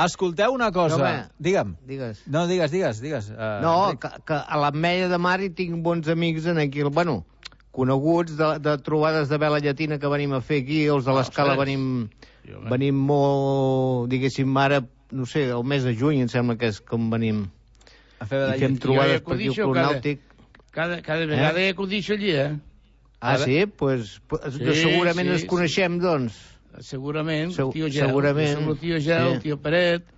Escolteu una cosa. No, home, digue'm. Digues. No, digues, digues, digues. Uh, no, que, que a l'Ametlla de Mar hi tinc bons amics en aquí. Bueno, coneguts de, de trobades de vela llatina que venim a fer aquí, els de l'Escala no, venim, venim molt, diguéssim, ara, no sé, el mes de juny em sembla que és com venim. A fer I fem trobades per aquí al Club Nàutic. Cada, cada vegada eh? hi acudixo allí, eh? Ah, sí? Pues, pues sí, segurament sí, ens coneixem, sí. doncs. Segurament, Se el tio Gel. Segurament. El tio Gel, sí. El tio Peret,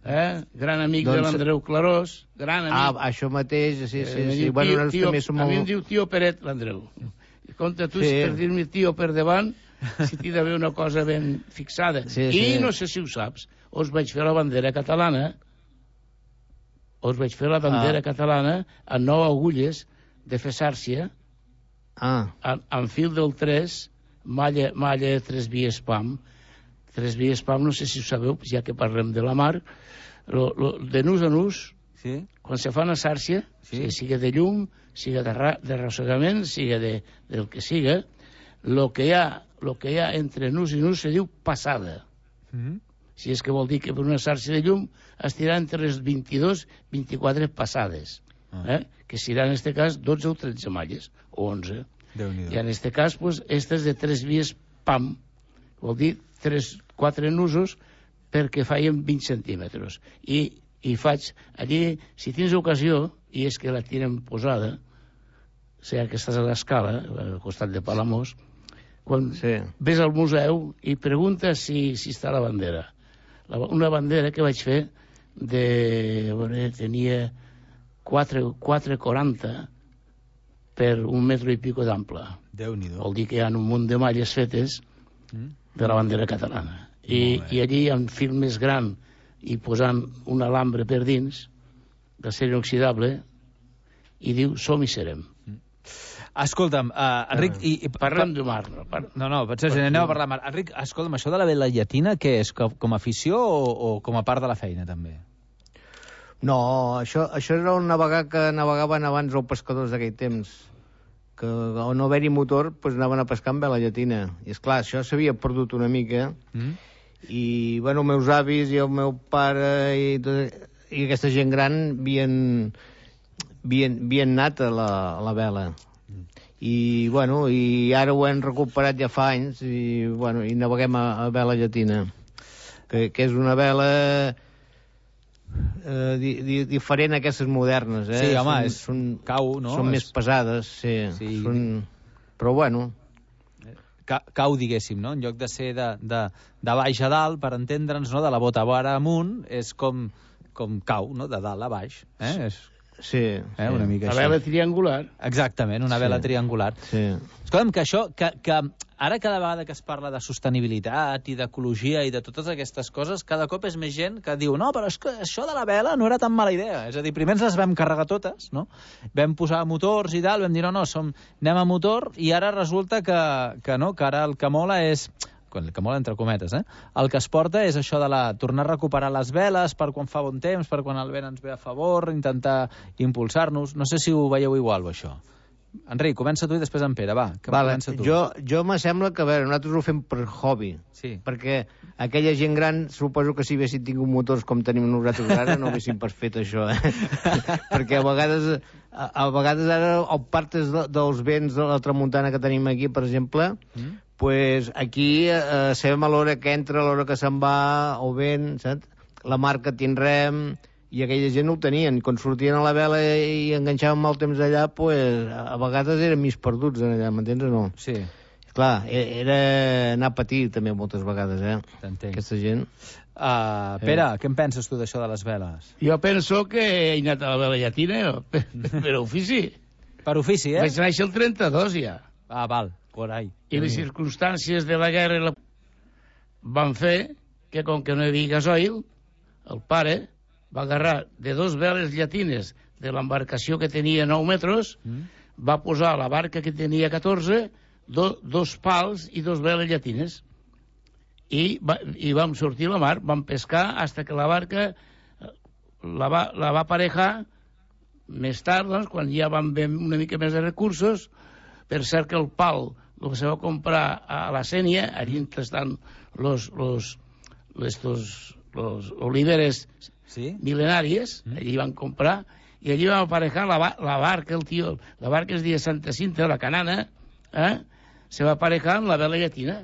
eh? Gran amic Doncs- de l'Andreu Clarós, gran amic. Ah, això mateix, sí, sí, Eh, sí. diu, Bueno, tio, nosaltres tio, també som a mi em molt... diu tio Peret, l'Andreu. I compte tu, Sí. si per dir-me tio per davant, si t'hi d'haver una cosa ben fixada. Sí, I sí. no sé si ho saps, us vaig fer la bandera catalana, us vaig fer la bandera Ah. catalana a nou agulles de fer sàrcia, Ah. amb, amb fil del tres, malla, malla de tres vies P A M. Tres vies P A M, no sé si ho sabeu, ja que parlem de la mar, lo, lo, de nus a nus, sí? quan se fa una sàrcia, sí. siga de llum, siga de, ra, de rossegament, siga de, del que siga, lo que hi ha, lo que hi ha entre nus i nus se diu passada. Mm-hmm. Si és que vol dir que per una sàrcia de llum estirà entre les vint-i-dos i vint-i-quatre passades, Ah. eh? que serà en este cas dotze o tretze malles, o onze. Déu-n'hi-do. I en este cas, pues, estas de tres vies P A M, vol dir tres, quatre nusos perquè feien vint centímetres. I, i faig allí, si tens ocasió, i és que la tenen posada, o sigui que estàs a l'escala, al costat de Palamós, quan sí. ves al museu i preguntes si, si està la bandera. La, una bandera que vaig fer de... Veure, tenia quatre coma quaranta per un metro i pico d'ample. Déu-n'hi-do. Vol dir que hi ha un munt de malles fetes de la bandera catalana. I, i allí, amb fil més gran i posant un alambre per dins, d'acer inoxidable, i diu, som i serem. Escolta'm, uh, Enric... I, i, Parlem de mar. No, par... no, no potser si anem a parlar de mar. Enric, escolta'm, això de la vela llatina, què és? Com, com a afició o, o com a part de la feina, també? No, això, això era un navegar que navegaven abans els pescadors d'aquell temps, que al no haver-hi motor pues, anaven a pescar amb vela llatina. I és clar, això s'havia perdut una mica, Mm? i bueno, els meus avis i el meu pare i, tot, i aquesta gent gran havien, havien, havien anat a la, a la vela. I, bueno, i ara ho hem recuperat ja fa anys i, bueno, i naveguem a, a vela llatina, que, que és una vela eh, di, di, diferent a aquestes modernes, eh? Sí, home, són, és són, cau, no? Són És- més pesades, sí. Sí. Són... Però, bueno... Ca, cau, diguéssim, no? En lloc de ser de, de, de baix a dalt, per entendre'ns, no? De la bota vora amunt, és com, com cau, no? De dalt a baix. Eh? És... Sí, eh? sí. Una mica La així. vela triangular. Exactament, una Sí. vela triangular. Sí. Escolta'm, que això, que, que ara cada vegada que es parla de sostenibilitat i d'ecologia i de totes aquestes coses, cada cop és més gent que diu no, però és que això de la vela no era tan mala idea. És a dir, primer ens les vam carregar totes, no? Vam posar motors i tal, vam dir no, no, som, anem a motor, i ara resulta que, que no, que ara el que mola és... el que mola entre cometes, eh? El que es porta és això de la, tornar a recuperar les veles per quan fa bon temps, per quan el vent ens ve a favor, intentar impulsar-nos. No sé si ho veieu igual, o això. Enric, comença tu i després en Pere, va. Que Vale, comença tu. jo, jo me sembla que, a veure, nosaltres ho fem per hobby. Sí. Perquè aquella gent gran, suposo que si haguessin tingut motors com tenim nosaltres ara, no haguessin pas fet això, eh? Perquè a vegades, a, a vegades ara, el partes de, dels vents de la tramuntana que tenim aquí, per exemple, mm. pues aquí eh, sabem a l'hora que entra, a l'hora que se'n va, el vent, saps? La mar que tindrem... I aquella gent no ho tenien. Quan sortien a la vela i enganxaven mal temps allà, pues, a vegades eren mig perduts allà, m'entens o no? Sí. Clar, era anar a patir també moltes vegades, eh? T'entenc. Aquesta gent. Uh, Pere, eh. què en penses tu d'això de les veles? Jo penso que he anat a la vela llatina jo, per, per ofici. Per ofici, eh? Vaig néixer el trenta-dos, ja. Ah, val, por ahí. I les circumstàncies de la guerra la... van fer que, com que no hi havia gasoil, el pare va agarrar de dos veles llatines de l'embarcació que tenia nou metres, mm. va posar a la barca que tenia catorze, do, dos pals i dos veles llatines. I, va, i vam sortir a la mar, vam pescar hasta que la barca la va, la va aparejar més tard, doncs, quan ja vam haver una mica més de recursos. Per cert que el pal el que se va comprar a la Sènia, allí estan los, los, estos, los oliveres ¿Sí? milenàries, mm. allí van comprar, i allí vam aparejar la, la barca, el tio, la barca es deia Santa Cinta, la canana, eh? se va aparejar amb la vela llatina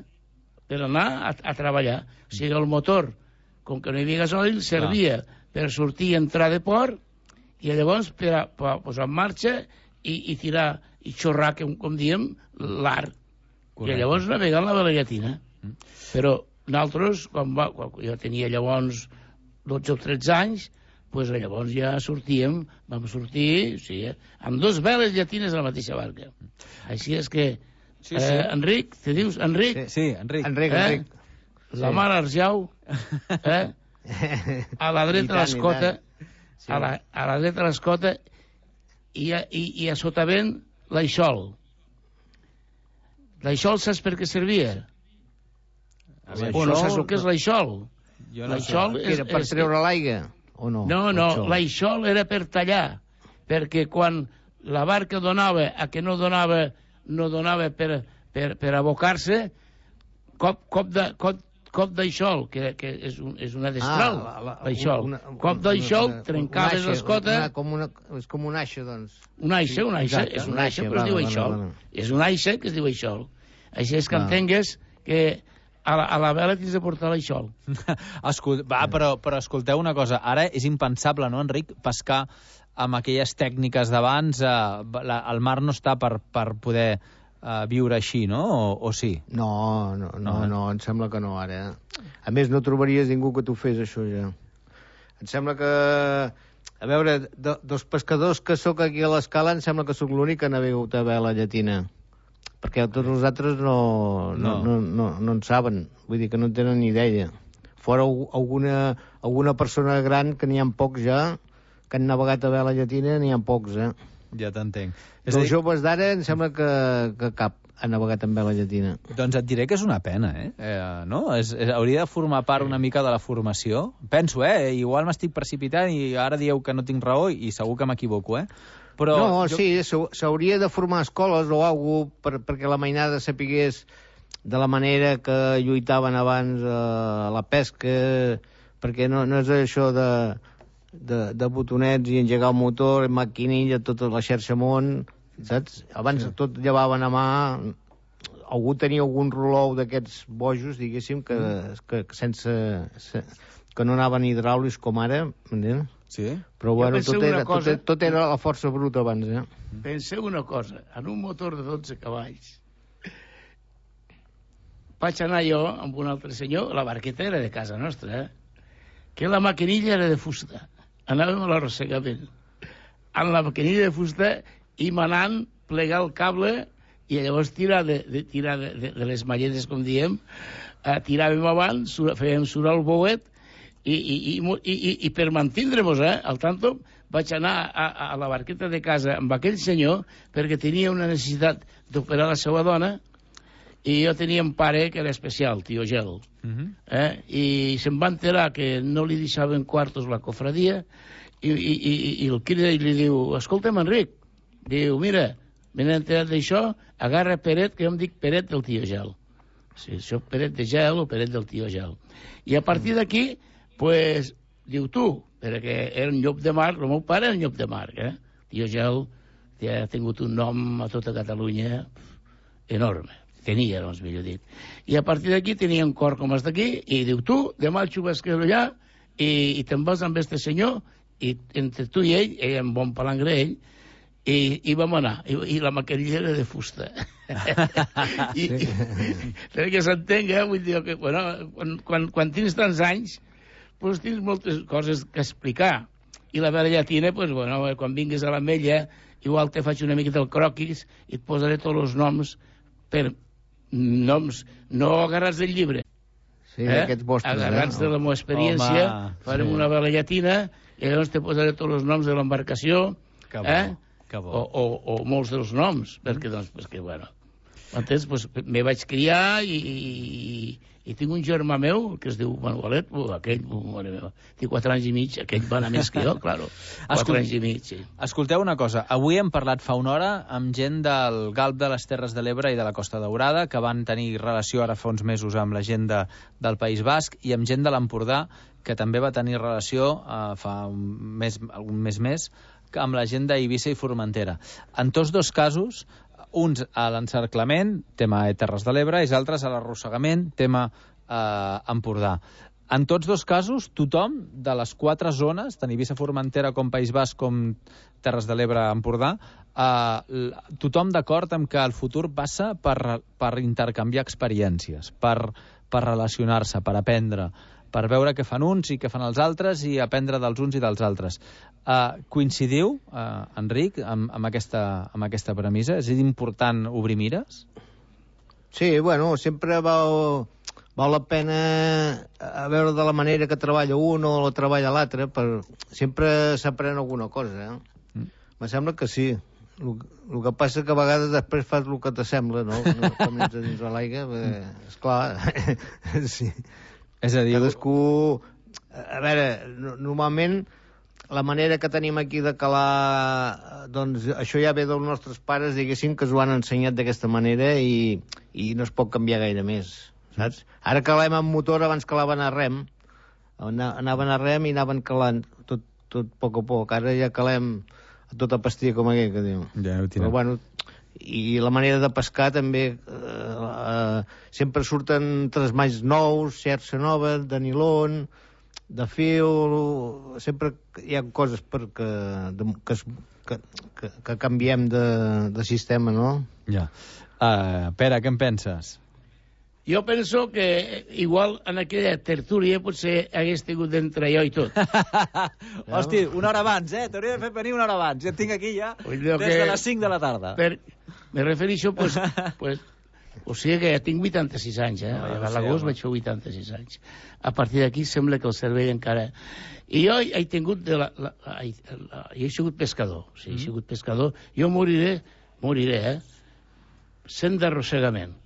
per anar a, a treballar. O sigui, el motor, com que no hi havia gasoil, servia no. per sortir i entrar de port, i llavors per, a, per a posar en marxa i, i tirar, i xorrar, com, com diem, l'art. I llavors navegar amb la vela llatina. Mm. Però nosaltres, quan, va, quan jo tenia llavors dotze o tretze anys, pues llavors ja sortíem, vam sortir, sí, eh, amb dos veles llatines a la mateixa barca. Així és que, Sí, sí. Eh, Enric, te dius Enric? Sí, sí, Enric. Enric, eh? Enric. La Sí. mar Arjau, eh? a la I dreta tant, l'escota, i Sí. a, la, a la dreta l'escota, i, a, i, i a sotavent l'aixol. L'aixol saps per què servia? O no saps el que és l'aixol? Jo no L'aixol Que era per treure l'aigua, o no? No, no, L'aixol. l'aixol era per tallar, perquè quan la barca donava a que no donava, no donava per, per, per abocar-se, cop, cop de... Cop, cop d'aixol, que, que és, un, és una destral, Ah, la- la- l'aixol. una- Cop d'aixol, una- trencaves una aixa, l'escota... una- com una, és com una aixa, doncs. Una aixa, una aixa, Exacte, és una una aixa, aixa, però es diu vale, aixol. vale, vale. És una aixa que es diu aixol. Així és que Ah. entengues que a la, a la vela tens de portar l'aixol. Escol... Va, però, però escolteu una cosa. Ara és impensable, no, Enric, pescar amb aquelles tècniques d'abans. Eh, la, el mar no està per, per poder eh, viure així, no? O, o sí? No, no, no, No, eh? no, em sembla que no, ara. A més, no trobaries ningú que t'ho fes, això, ja. Em sembla que... A veure, de, dels pescadors que sóc aquí a l'escala, em sembla que sóc l'únic que ha begut a vela llatina. Perquè tots els altres no, no, no. No, no, no en saben. Vull dir que no en tenen ni idea. Fora alguna, alguna persona gran, que n'hi ha pocs ja, que han navegat a vela llatina, n'hi ha pocs, eh? Ja t'entenc. És Els a dir, joves d'ara em sembla que, que cap ha navegat amb vela llatina. doncs et diré que és una pena, eh? eh no? És, és, hauria de formar part una mica de la formació. Penso, eh? Igual m'estic precipitant i ara dieu que no tinc raó i segur que m'equivoco, eh? Però no, jo... sí, s'hau- s'hauria de formar escoles o alguna cosa per, perquè la mainada sapigués de la manera que lluitaven abans eh, a la pesca, perquè no, no és això de, de, de botonets i engegar el motor, maquinilla, tota la xarxa món, saps? Abans sí. Tot llevaven a mà, algú tenia algun rolou d'aquests bojos, diguéssim, que, mm. que, que sense... Se, que no anaven hidràulics com ara, m'entens? Sí. Però bueno, penseu tot era, una cosa- tot, tot era la força bruta abans, eh? Penseu una cosa, en un motor de dotze cavalls, vaig anar jo amb un altre senyor, la barqueta era de casa nostra, eh? Que la maquinilla era de fusta. Anàvem a l'arrossegament. Amb la maquinilla de fusta i manant plegar el cable i llavors tirar de, de, tirar de, de, de les malletes, com diem, eh, tiràvem avant, sur, fèiem surar el bouet i, i, i, i, i, i per mantindre-nos, eh, al tanto, vaig anar a, a la barqueta de casa amb aquell senyor perquè tenia una necessitat d'operar la seva dona i jo tenia un pare que era especial, tio Gel. Uh -huh. eh? I se'm va enterar que no li deixaven quartos la cofradia i, i, i, i el crida i li diu, escolta'm, Enric, diu, mira, m'he enterat d'això, agarra Peret, que jo em dic Peret del tio Gel. Sí, això Peret de Gel o Peret del tio Gel. I a partir d'aquí, pues, diu tu, perquè era un llop de mar, el meu pare era un llop de mar, eh? Tio Gel ha tingut un nom a tota Catalunya enorme. Tenia, doncs, millor dit. I a partir d'aquí tenia un cor com els d'aquí, i diu, tu, demà xuves que allà, i, i te'n vas amb este senyor, i entre tu i ell, ell amb bon palangre, ell, i, i vam anar, i, i la maquinilla era de fusta. I, i, perquè s'entenga, vull dir que, bueno, quan, quan, quan tens tants anys, doncs tens moltes coses que explicar. I la vela llatina, doncs, bueno, quan vingues a l'Ametlla, igual te faig una mica del croquis i et posaré tots els noms per noms no agarrats del llibre. Sí, eh? Aquests vostres, agarrats eh? de la meva experiència. Home, farem sí. una vela llatina i llavors te posaré tots els noms de l'embarcació. Que bo, eh? que bo. O, o, o molts dels noms, perquè, doncs, perquè, bueno, entens? Pues, me vaig criar i, i, i tinc un germà meu que es diu Manuelet, uh, aquell, uh, mare meva, té quatre anys i mig, aquell va anar més que jo, claro, quatre Escol... anys i mig, sí. Escolteu una cosa, avui hem parlat fa una hora amb gent del Galp de les Terres de l'Ebre i de la Costa Daurada, que van tenir relació ara fa uns mesos amb la gent de, del País Basc, i amb gent de l'Empordà, que també va tenir relació eh, fa un mes, un mes més, amb la gent d'Eivissa i Formentera. En tots dos casos, uns a l'encerclament, tema de Terres de l'Ebre, i els altres a l'arrossegament, tema eh, Empordà. En tots dos casos, tothom de les quatre zones, tant Eivissa, Formentera com País Basc com Terres de l'Ebre, Empordà, eh, tothom d'acord amb que el futur passa per, per intercanviar experiències, per, per relacionar-se, per aprendre. per veure què fan uns i què fan els altres i aprendre dels uns i dels altres. Uh, coincidiu, uh, Enric, amb, amb, aquesta, amb aquesta premissa? És important obrir mires? Sí, bueno, sempre val, val la pena a veure de la manera que treballa un o la treballa l'altre, per sempre s'aprèn alguna cosa, eh? Mm. Me sembla que sí. El, el que passa que a vegades després fas el que t'assembla, no? No com ets a dins de l'aigua, mm. esclar. Sí. És a dir... Cadascú... A veure, no, normalment la manera que tenim aquí de calar, doncs això ja ve dels nostres pares, diguéssim, que ens ho han ensenyat d'aquesta manera i, i no es pot canviar gaire més, saps? Ara calem amb motor, abans calaven a rem, anaven a rem i anaven calant tot, tot a poc a poc. Ara ja calem a tota pastilla com aquell, que diu. Ja ho Però bueno, i la manera de pescar també, eh, eh, sempre surten tresmalls nous, xerxa nova, de nilon, de fil, sempre hi ha coses perquè, de, que, que, que, que canviem de, de sistema, no? Ja. Uh, Pere, què en penses? Jo penso que igual en aquella tertúlia potser hagués tingut d'entrar jo i tot. Hosti, una hora abans, eh? T'hauria de fer venir una hora abans. Ja et tinc aquí ja des que... de les cinc de la tarda. Per... Me refereixo, pues, pues, o sigui que ja tinc vuitanta-sis anys, eh? No, ja a l'agost vaig fer vuitanta-sis anys. A partir d'aquí sembla que el cervell encara... I jo he tingut... De la, la, la, la, he sigut pescador, sí, he sigut pescador. Jo moriré, moriré, eh? Sent d'arrossegament.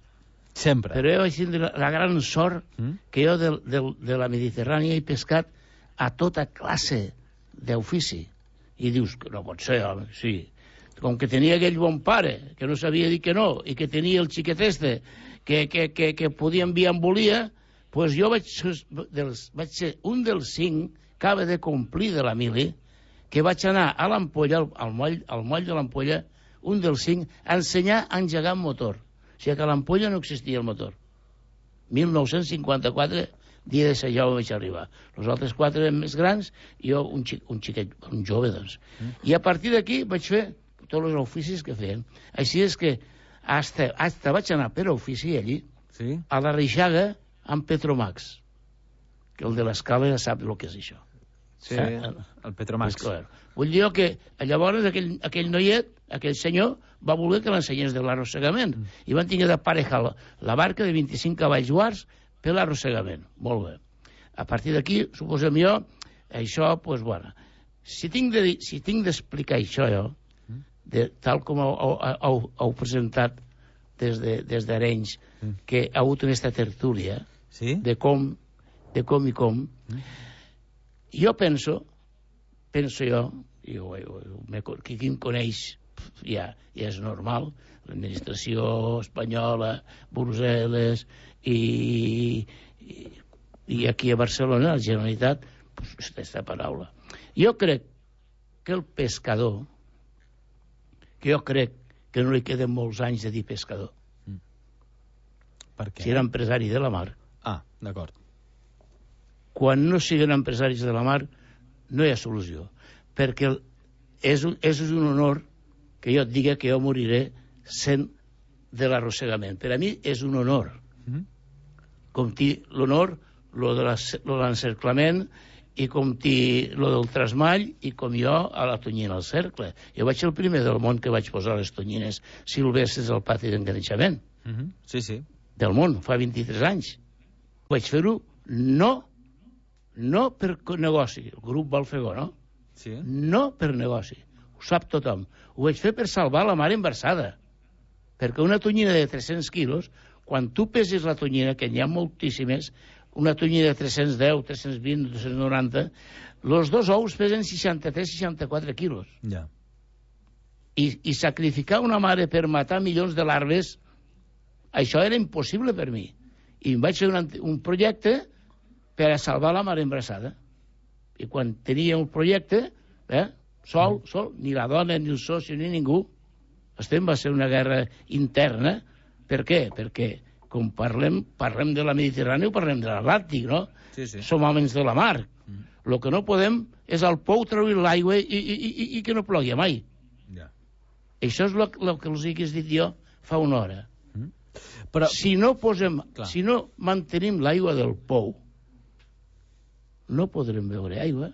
Sempre. Però jo vaig tindre la, la gran sort mm? que jo de, de, de la Mediterrània he pescat a tota classe d'ofici. I dius, que no pot ser, home, sí. Com que tenia aquell bon pare, que no sabia dir que no, i que tenia el xiquet este, que, que, que, que podia enviar en volia, pues jo vaig, dels, vaig ser un dels cinc que acaba de complir de la mili, que vaig anar a l'Ampolla, al, al, moll, al moll de l'Ampolla, un dels cinc, a ensenyar a engegar un motor. O sigui que a l'Ampolla no existia el motor. mil nou-cents cinquanta-quatre, dia de ser jo vaig arribar. Els altres quatre eren més grans, i jo un, xic, un xiquet, un jove, doncs. Mm. I a partir d'aquí vaig fer tots els oficis que feien. Així és que hasta, hasta vaig anar per ofici allí, sí? A la Reixaga, amb Petromax, que el de l'Escala ja sap el que és això. Sí, eh? El Petromax. Pues, vull dir que llavors aquell, aquell noiet, aquell senyor, va voler que l'ensenyés de l'arrossegament. Mm. I van tenir de parejar la, la barca de vint-i-cinc cavalls guards per l'arrossegament. Molt bé. A partir d'aquí, suposem jo, això, doncs, pues, bueno, si tinc de, si tinc d'explicar això jo, de, tal com heu, heu, heu presentat des de, des d'Arenys, mm. que ha hagut aquesta tertúlia, sí? de, com, de com i com, mm. jo penso, penso jo, jo, jo, jo qui em coneix ja, ja és normal, l'administració espanyola, Brussel·les i, i, i aquí a Barcelona, la Generalitat, pues, aquesta paraula. Jo crec que el pescador, que jo crec que no li queden molts anys de dir pescador. Mm. Per què? Si era empresari de la mar. Ah, d'acord. Quan no siguin empresaris de la mar, no hi ha solució. Perquè és un, és un honor que jo et digui que jo moriré sent de l'arrossegament. Per a mi és un honor. Mm. Com ti l'honor, lo de l'encerclament, i com ti, lo del trasmall, i com jo a la tonyina al cercle. Jo vaig ser el primer del món que vaig posar les tonyines silvestres al pati d'enganxament. Mm -hmm. Sí, sí. Del món, fa vint-i-tres anys. Vaig fer-ho no, no per negoci, el grup Balfegó, no? Sí. No per negoci. Ho sap tothom. Ho vaig fer per salvar la mare embarassada. Perquè una tonyina de tres-cents quilos, quan tu peses la tonyina, que n'hi ha moltíssimes, una tonyina de tres-cents deu, tres-cents vint, tres-cents noranta, els dos ous pesen seixanta-tres seixanta-quatre quilos. Ja. I, I sacrificar una mare per matar milions de larves, això era impossible per mi. I em vaig fer un, un projecte per a salvar la mare embarassada. I quan tenia un projecte, eh, sol, sol, ni la dona, ni el soci, ni ningú, estem, va ser una guerra interna. Per què? Perquè com parlem, parlem de la Mediterrània o parlem de l'Atlàntic, no? Sí, sí. Som homes de la mar. Mm. El que no podem és al pou treure l'aigua i, i, i, i que no plogui mai. Ja. Això és el que els he dit jo fa una hora. Però... Si no posem, Clar. si no mantenim l'aigua del pou, no podrem beure aigua.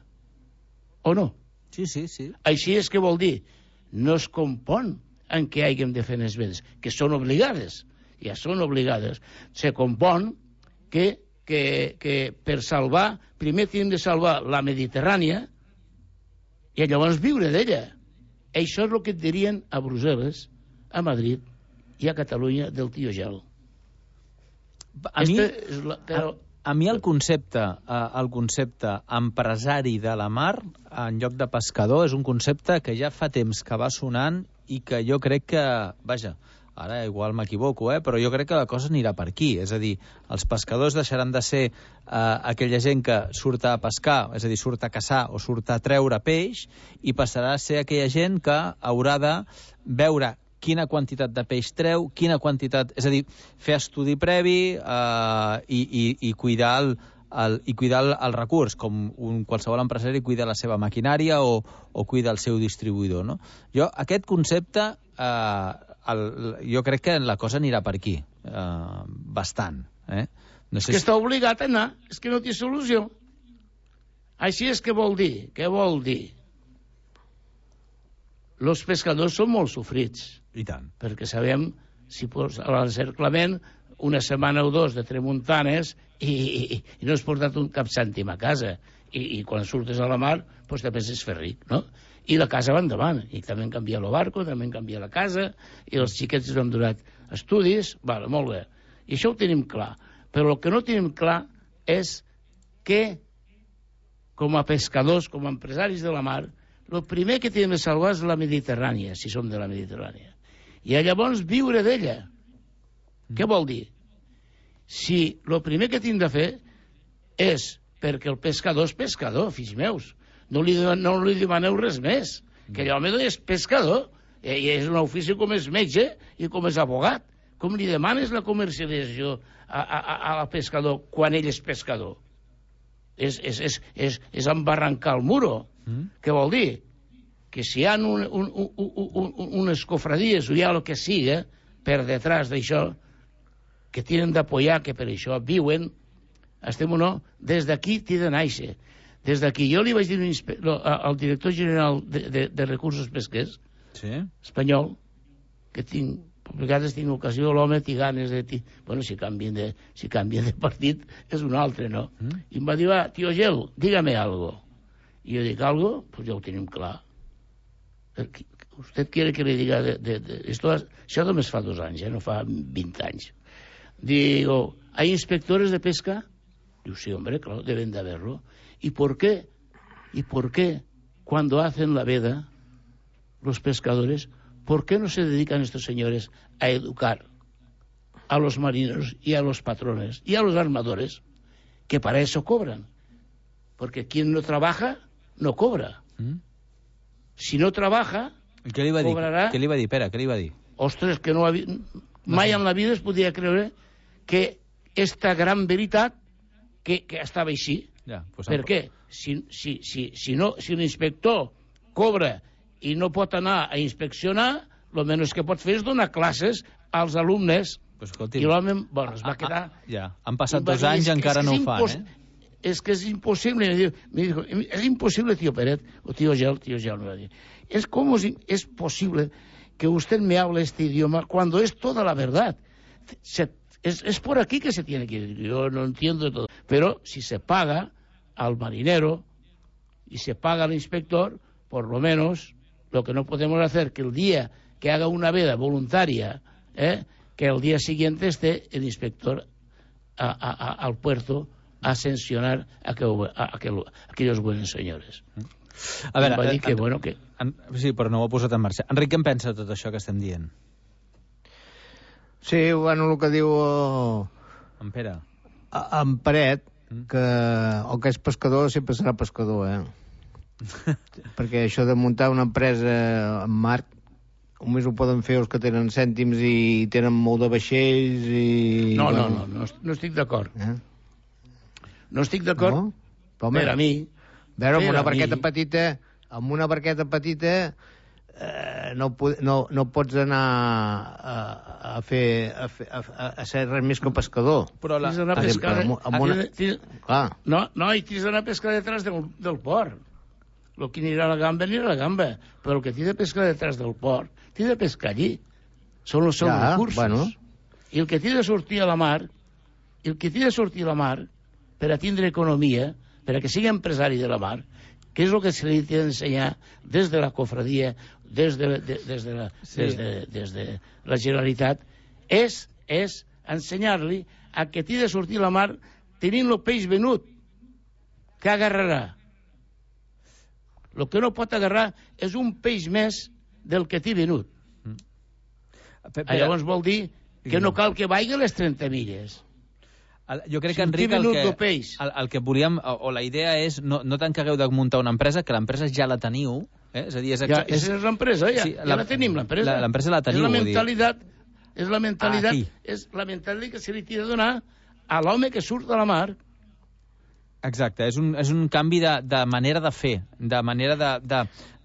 O no? Sí, sí, sí. Així és que vol dir, no es compon en què hàgim de fer les vedes, que són obligades, ja són obligades. Se compon que, que, que per salvar, primer hem de salvar la Mediterrània i llavors viure d'ella. Això és el que et dirien a Brussel·les, a Madrid i a Catalunya del tio Gel. A mi, és la, però... a, a mi el concepte, el concepte empresari de la mar en lloc de pescador és un concepte que ja fa temps que va sonant i que jo crec que, vaja, ara igual m'equivoco, eh, però jo crec que la cosa anirà per aquí. És a dir, els pescadors deixaran de ser eh, aquella gent que surt a pescar, és a dir, surt a caçar o surt a treure peix, i passarà a ser aquella gent que haurà de veure quina quantitat de peix treu, quina quantitat... És a dir, fer estudi previ eh, i, i, i cuidar el, el, i cuidar el, el recurs, com un qualsevol empresari cuida la seva maquinària o, o cuida el seu distribuïdor, no? Jo, aquest concepte, eh, el, jo crec que la cosa anirà per aquí, eh, bastant. Eh? No sé és que si... està obligat a anar, és que no té solució. Així és que vol dir, què vol dir? Els pescadors són molt sofrits. I tant. Perquè sabem, si pots, a l'encerclament, una setmana o dos de tramuntanes i, i, i no has portat un cap cèntim a casa. I, i quan surtes a la mar, doncs te penses fer ric, no? I la casa va endavant. I també han canviat el barco, també han canviat la casa, i els xiquets han donat estudis, vale, molt bé. I això ho tenim clar. Però el que no tenim clar és que, com a pescadors, com a empresaris de la mar, el primer que tenim de salvar és la Mediterrània, si som de la Mediterrània. I llavors viure d'ella. Mm. Què vol dir? Si el primer que tinc de fer és perquè el pescador és pescador, fills meus. No li, no li demaneu res més. Mm. Que l'home és pescador. I és un ofici com és metge i com és abogat. Com li demanes la comercialització a, a, a, a pescador quan ell és pescador? És, és, és, és, és embarrancar el muro. Mm. Què vol dir? Que si hi ha un, un, un, un, un, unes cofradies o hi ha el que siga per detrás d'això, que tenen d'apoyar, que per això viuen, estem o no, des d'aquí t'hi de néixer. Des d'aquí jo li vaig dir al director general de, de, de recursos pesquers, sí? espanyol, que tinc, a vegades tinc ocasió, l'home té ganes de... Ti... Bueno, si canvien de, si canvien de partit és un altre, no? Mm. I em va dir, va, tio Gel, dígame algo. I jo dic, algo? Pues ja ho tenim clar. Usted quiere que le diga de, de, de, esto, això només fa dos anys, eh, no fa vint anys. Digo, ¿hay inspectores de pesca? Digo, sí, hombre, claro, deben de haberlo. ¿Y por qué? ¿Y por qué cuando hacen la veda los pescadores, por qué no se dedican estos señores a educar a los marineros y a los patrones y a los armadores, que para eso cobran? Porque quien no trabaja no cobra. ¿Mm? Si no trabaja, què li va cobrarà... dir? Què li va dir, Pere? Què li va dir? Ostres, que no havia... mai en la vida es podia creure que esta gran veritat que, que estava així. Ja, pues per què? Si, si, si, si, no, si l'inspector cobra i no pot anar a inspeccionar, el menys que pot fer és donar classes als alumnes. Pues, I l'home, bueno, es va quedar... Ah, ah, ja, han passat dos anys i encara no ho fan, eh? Es que es imposible, me dijo, me dijo, es imposible, tío Peret, o tío Gel, tío Gel me va a decir, es como si es posible que usted me hable este idioma cuando es toda la verdad. Se, es, es por aquí que se tiene que ir, yo no entiendo todo. Pero si se paga al marinero y se paga al inspector, por lo menos, lo que no podemos hacer, que el día que haga una veda voluntaria, ¿eh? que el día siguiente esté el inspector a, a, a, al puerto a sancionar a, aquel, a, aquel, a aquellos buenos senyores. A veure, va dir que, en, bueno, que... En, sí, però no ho ha posat en marxa. Enric, què en pensa de tot això que estem dient? Sí, bueno, el que diu... En Pere. En Peret, que el que és pescador sempre serà pescador, eh? Perquè això de muntar una empresa en mar només ho poden fer els que tenen cèntims i tenen molt de vaixells i... No, bueno... no, no, no, no estic d'acord. Eh? No estic d'acord, no? Per a mi. Veure, amb una barqueta petita, amb una barqueta petita eh, no, no, no pots anar a, a fer a, fer, a, a ser res més que pescador. Però la... Tens d'anar a pescar... Amb, amb una... tens... No, no, i tens d'anar a pescar detrás del, del port. El que anirà a la gamba, anirà a la gamba. Però el que t'hi de pescar detrás del port, t'hi de pescar allí. Són els seus ja, recursos. Bueno. I el que t'hi de sortir a la mar, el que t'hi de sortir a la mar, per a tindre economia, per a que sigui empresari de la mar, que és el que se li ha d'ensenyar des de la cofradia, des de, de, des de, la, sí. des de, des de la Generalitat, és, és ensenyar-li a que t'hi de sortir a la mar tenint el peix venut. Què agarrarà? El que no pot agarrar és un peix més del que t'hi venut. Mm. Però... Llavors vol dir que no cal que vagi les trenta milles. El, jo crec que, Enric, el que, el, el que volíem, o, o la idea és, no, no tant que hagueu de muntar una empresa, que l'empresa ja la teniu, eh? És a dir, és... Ja, és, és l'empresa, ja, sí, ja la, la tenim, l'empresa. L'empresa la teniu, és la mentalitat, és la mentalitat, ah, és la mentalitat que se li tira a donar a l'home que surt de la mar. Exacte, és un, és un canvi de, de manera de fer, de manera de, de,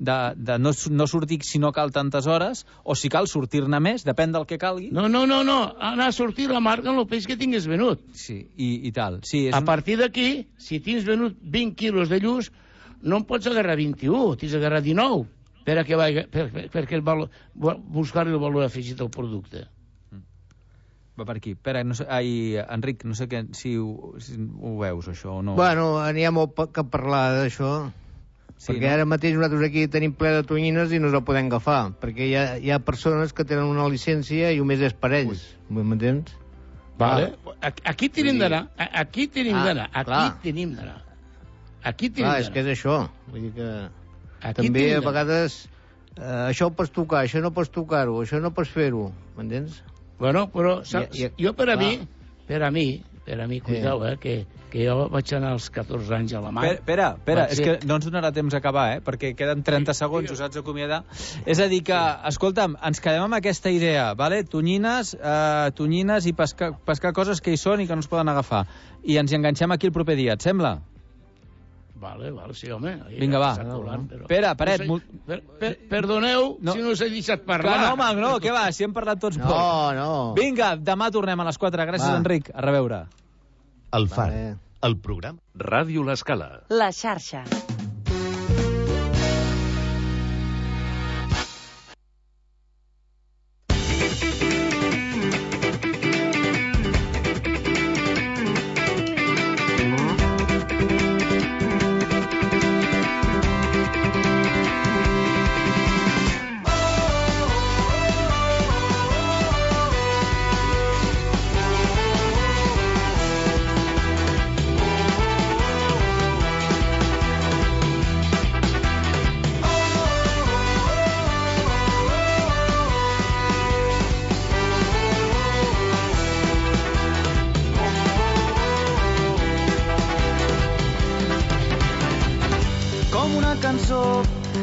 de, de no, no sortir si no cal tantes hores, o si cal sortir-ne més, depèn del que calgui. No, no, no, no. Anar a sortir la mar amb el peix que tingues venut. Sí, i, i tal. Sí, és a un... partir d'aquí, si tens venut vint quilos de lluç, no en pots agarrar vint-i-u, tens d'agarrar dinou, per a que vagi, per, per, perquè el valor, buscar-li el valor afegit al producte. Va per aquí. Pere, no sé, ai, Enric, no sé que, si, ho, si ho veus, això, o no. Bueno, n'hi ha molt que parlar d'això, sí, perquè no? Ara mateix nosaltres aquí tenim ple de tonyines i no els el podem agafar, perquè hi ha, hi ha persones que tenen una llicència i només és per ells. M'entens? Vale. Aquí tenim d'anar, aquí tenim d'anar, aquí tenim d'anar. Aquí tenim d'anar. És que és això. Vull dir que aquí també a vegades eh, això ho pots tocar, això no pots tocar-ho, això no pots fer-ho, m'entens? Bueno, però saps, I, i, jo per a clar. mi, per a mi, per a mi, cuidao, eh, que, que jo vaig anar als catorze anys a la mar. Espera, espera, és que no ens donarà temps a acabar, eh, perquè queden trenta segons, us haig d'acomiadar. És a dir que, escolta'm, ens quedem amb aquesta idea, vale? Tonyines, eh, tonyines i pescar, pescar coses que hi són i que no es poden agafar. I ens hi enganxem aquí el proper dia, et sembla? Vale, vale, sí, home. Vinga, va. Colant, però... Pere, Peret... No sé, per, per, perdoneu no. si no us he deixat parlar. Clar, no, home, no, què va, si hem parlat tots no, poc. No, Vinga, demà tornem a les quatre. Gràcies, va. Enric. A reveure. El Far, vale. El programa. Ràdio L'Escala. La xarxa.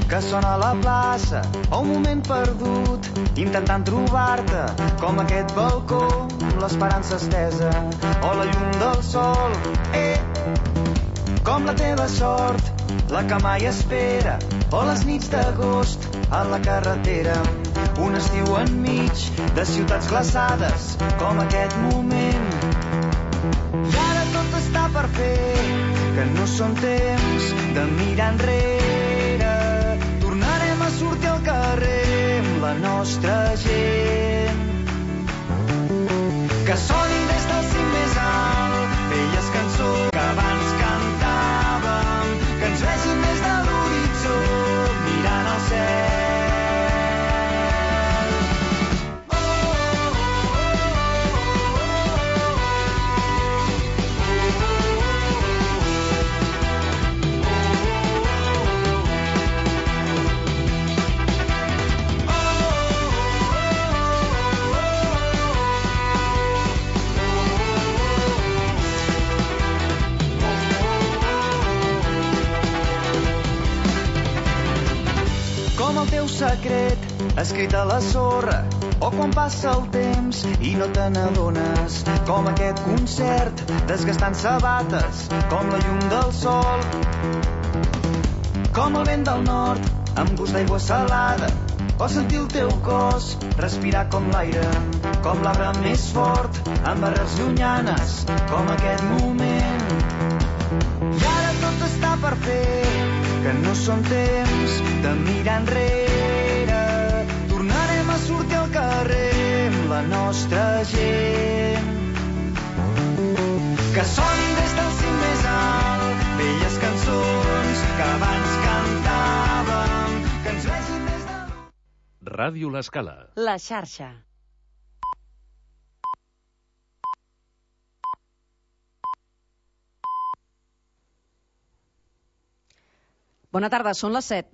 Que sona a la plaça, o un moment perdut, intentant trobar-te, com aquest balcó, amb l'esperança estesa, o la llum del sol, eh, com la teva sort, la que mai espera, o les nits d'agost, a la carretera, un estiu enmig de ciutats glaçades, com aquest moment. I ara tot està per fer, que no són temps de mirar enrere, sortir al carrer amb la nostra gent. Que soni des del cim més alt velles cançons que abans cantàvem, que ens vegin des de l'horitzó mirant al cel. Secret escrit a la sorra, o quan passa el temps i no te n'adones, com aquest concert desgastant sabates, com la llum del sol, com el vent del nord amb gust d'aigua salada, o sentir el teu cos respirar com l'aire, com l'arbre més fort amb barres llunyanes com aquest moment. I ara tot està per fer, que no són temps de mirar enrere. Tornarem a sortir al carrer amb la nostra gent. Que sonin des del cim més alt velles cançons que abans cantàvem, que ens vegin des de... Ràdio L'Escala. La xarxa. Bona tarda, són les set.